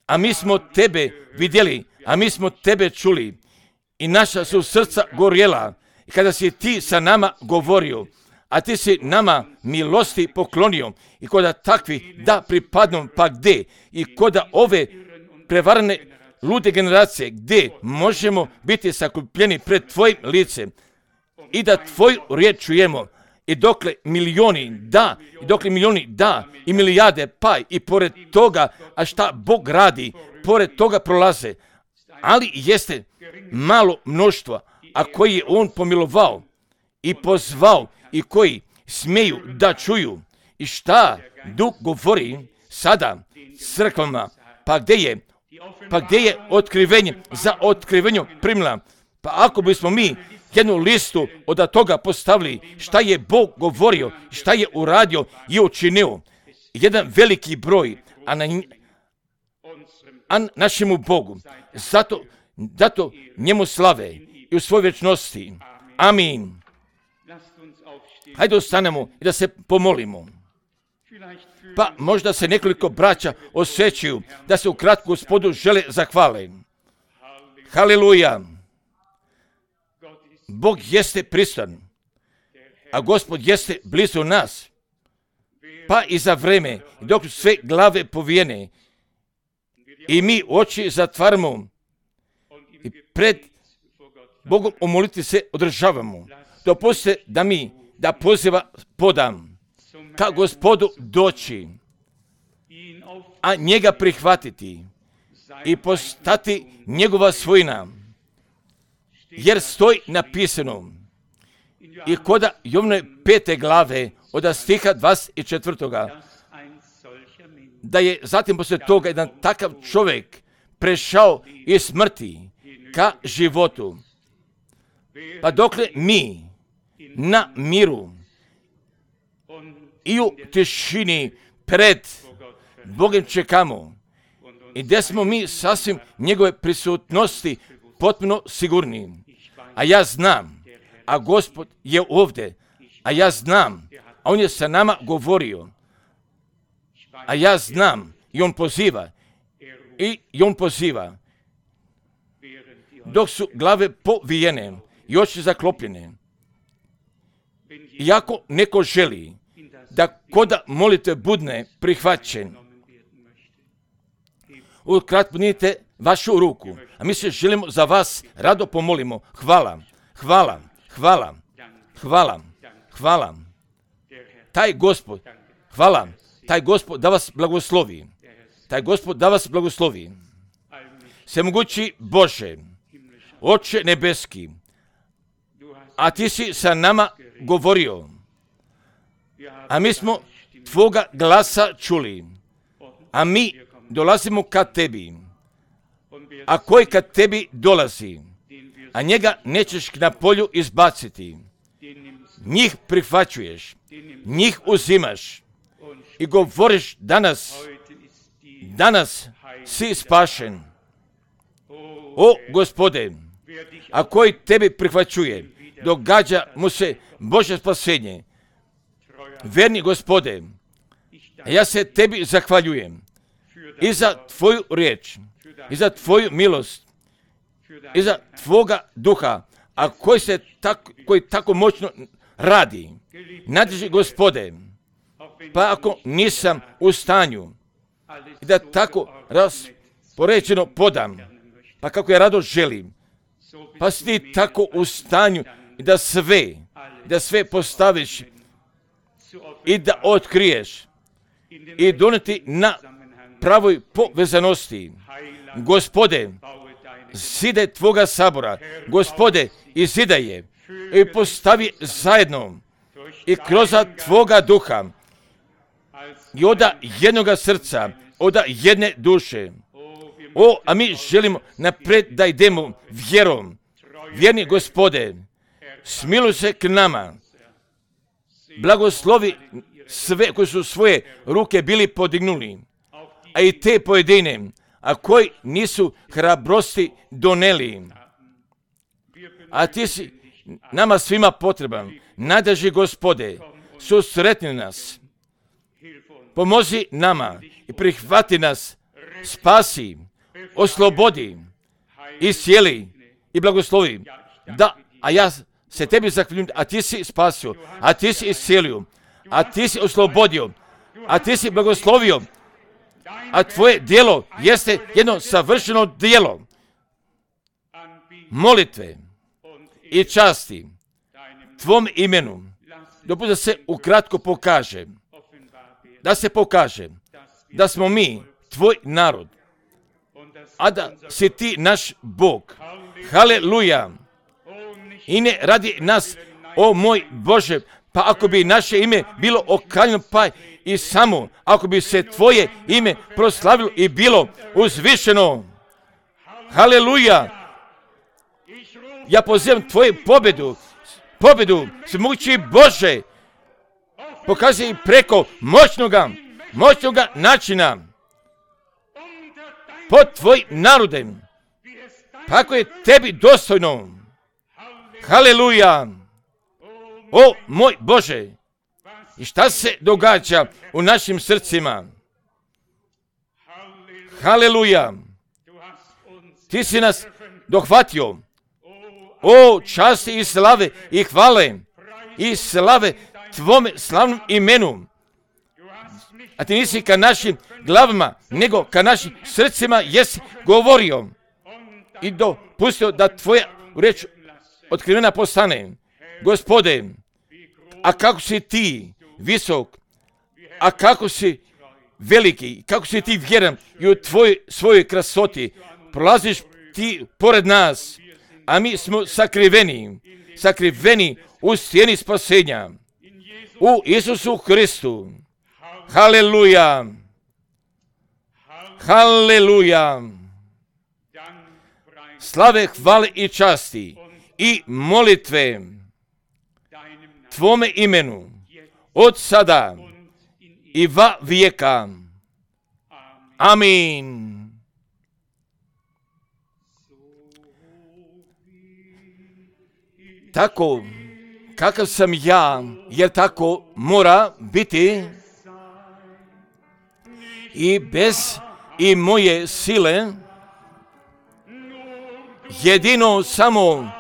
S1: a mi smo tebe vidjeli, a mi smo tebe čuli i naša su srca gorjela kada si ti sa nama govorio, a ti si nama milosti poklonio i koda takvi da pripadnom pa gde i koda ove prevarane lude generacije gdje možemo biti sakupljeni pred tvojim licem i da tvoju riječ čujemo i dokle milioni da, i dokle milioni da i milijarde pa i pored toga, a šta Bog radi, pored toga prolaze, ali jeste malo mnoštva, a koji je on pomilovao i pozvao i koji smiju da čuju i šta Duh govori sada crkvama, pa gdje je, pa gdje je otkrivenje za otkrivenju primila, Pa ako bismo mi jednu listu od toga postavili šta je Bog govorio, šta je uradio i učinio, jedan veliki broj, a na a našemu Bogu, zato, zato njemu slave i u svojoj vječnosti. Amin. Hajde ostanemo i da se pomolimo. Pa možda se nekoliko braća osjećaju da se ukratko Gospodu žele zahvale. Haleluja. Bog jeste prisutan, a Gospod jeste blizu nas. Pa i za vreme, dok sve glave povijene i mi oči zatvaramo i pred Bogom u molitvi se održavamo. Dopustite da mi da poziva podam ka Gospodu doći, a njega prihvatiti i postati njegova svojina. Jer stoji napisano i koda Jovnove pete glave od stiha dvadeset četvrtoga da je zatim poslije toga jedan takav čovjek prešao iz smrti ka životu. Pa dokle mi na miru i u tišini pred Bogom čekamo i gdje smo mi sasvim njegove prisutnosti potpuno sigurni. A ja znam, a Gospod je ovdje, a ja znam, a on je sa nama govorio, a ja znam i on poziva, i, i on poziva, dok su glave povijene i oči zaklopljene. Iako neko želi da koda molite budne prihvaćen, ukratko nijete vašu ruku, a mi se želimo za vas rado pomolimo. Hvala, hvala, hvala, hvala, hvala. Taj Gospod, hvala, taj Gospod da vas blagoslovi, taj Gospod da vas blagoslovi. Svemogući Bože, Oče nebeski, a ti si sa nama govorio, a mi smo tvoga glasa čuli, a mi dolazimo ka tebi, a koji kad tebi dolazi, a njega nećeš na polju izbaciti, njih prihvaćuješ, njih uzimaš i govoriš danas, danas si spašen. O Gospode, a koji tebi prihvaćuje, događa mu se Božje spasenje. Verni Gospode, ja se tebi zahvaljujem i za tvoju riječ, i za tvoju milost, i za tvoga duha, a koji se tako, koji tako moćno radi. Nadrži Gospode, pa ako nisam u stanju i da tako raspoređeno podam, pa kako ja rado želim, pa si ti tako u stanju i da sve, da sve postaviš i da otkriješ i doneti na pravoj povezanosti. Gospode, zide tvoga sabora, Gospode, i zidaj je i postavi zajedno i kroz tvoga duha i oda jednoga srca, oda jedne duše. O, a mi želimo napred da idemo vjerom. Vjerni Gospode, smiluj se k nama. Blagoslovi sve koji su svoje ruke bili podignuli, a i te pojedine, a koji nisu hrabrosti doneli. A ti si nama svima potreban. Nadrži Gospode, susretni nas. Pomozi nama i prihvati nas, spasi, oslobodi, iscijeli i blagoslovi. Da, a ja se tebi zahvaljujem, a ti si spasio, a ti si iscijelio, a ti si oslobodio, a ti si blagoslovio, a tvoje djelo jeste jedno savršeno djelo molitve i časti tvom imenu. Dopusti da se ukratko pokaže, da se pokaže da smo mi tvoj narod, a da si ti naš Bog. Haleluja! I ne radi nas, o moj Bože, pa ako bi naše ime bilo okaljeno, pa i samo ako bi se tvoje ime proslavilo i bilo uzvišeno. Haleluja! Ja pozivam tvoju pobjedu, pobjedu, svemogući Bože, pokazuj preko moćnoga, moćnoga načina, pod tvojim narodem, kako je tebi dostojno. Haleluja! O moj Bože! I šta se događa u našim srcima? Haleluja! Ti si nas dohvatio. O časti i slave i hvale i slave tvome slavnom imenu. A ti nisi ka našim glavama, nego ka našim srcima jesi govorio i dopustio da tvoja reč otkrivena postane. Gospode, a kako si ti visok, a kako si veliki, kako si ti vjeran i u tvojoj svojoj krasoti prolaziš ti pored nas, a mi smo sakriveni, sakriveni u sjeni spasenja, u Isusu Hristu. Haleluja! Haleluja! Slave, hvale i časti i molitve tvome imenu od sada i va vijeka. Amin. Tako kakav sam ja, jer tako mora biti i bez i moje sile, jedino samo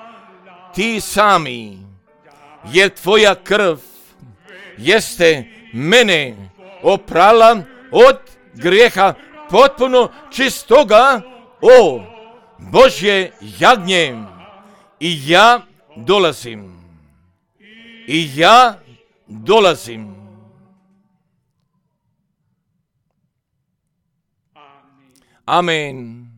S1: ti sami, jer tvoja krv jeste mene oprala od grijeha potpuno čistoga, o Božje jagnje. I ja dolazim. I ja dolazim. Amen.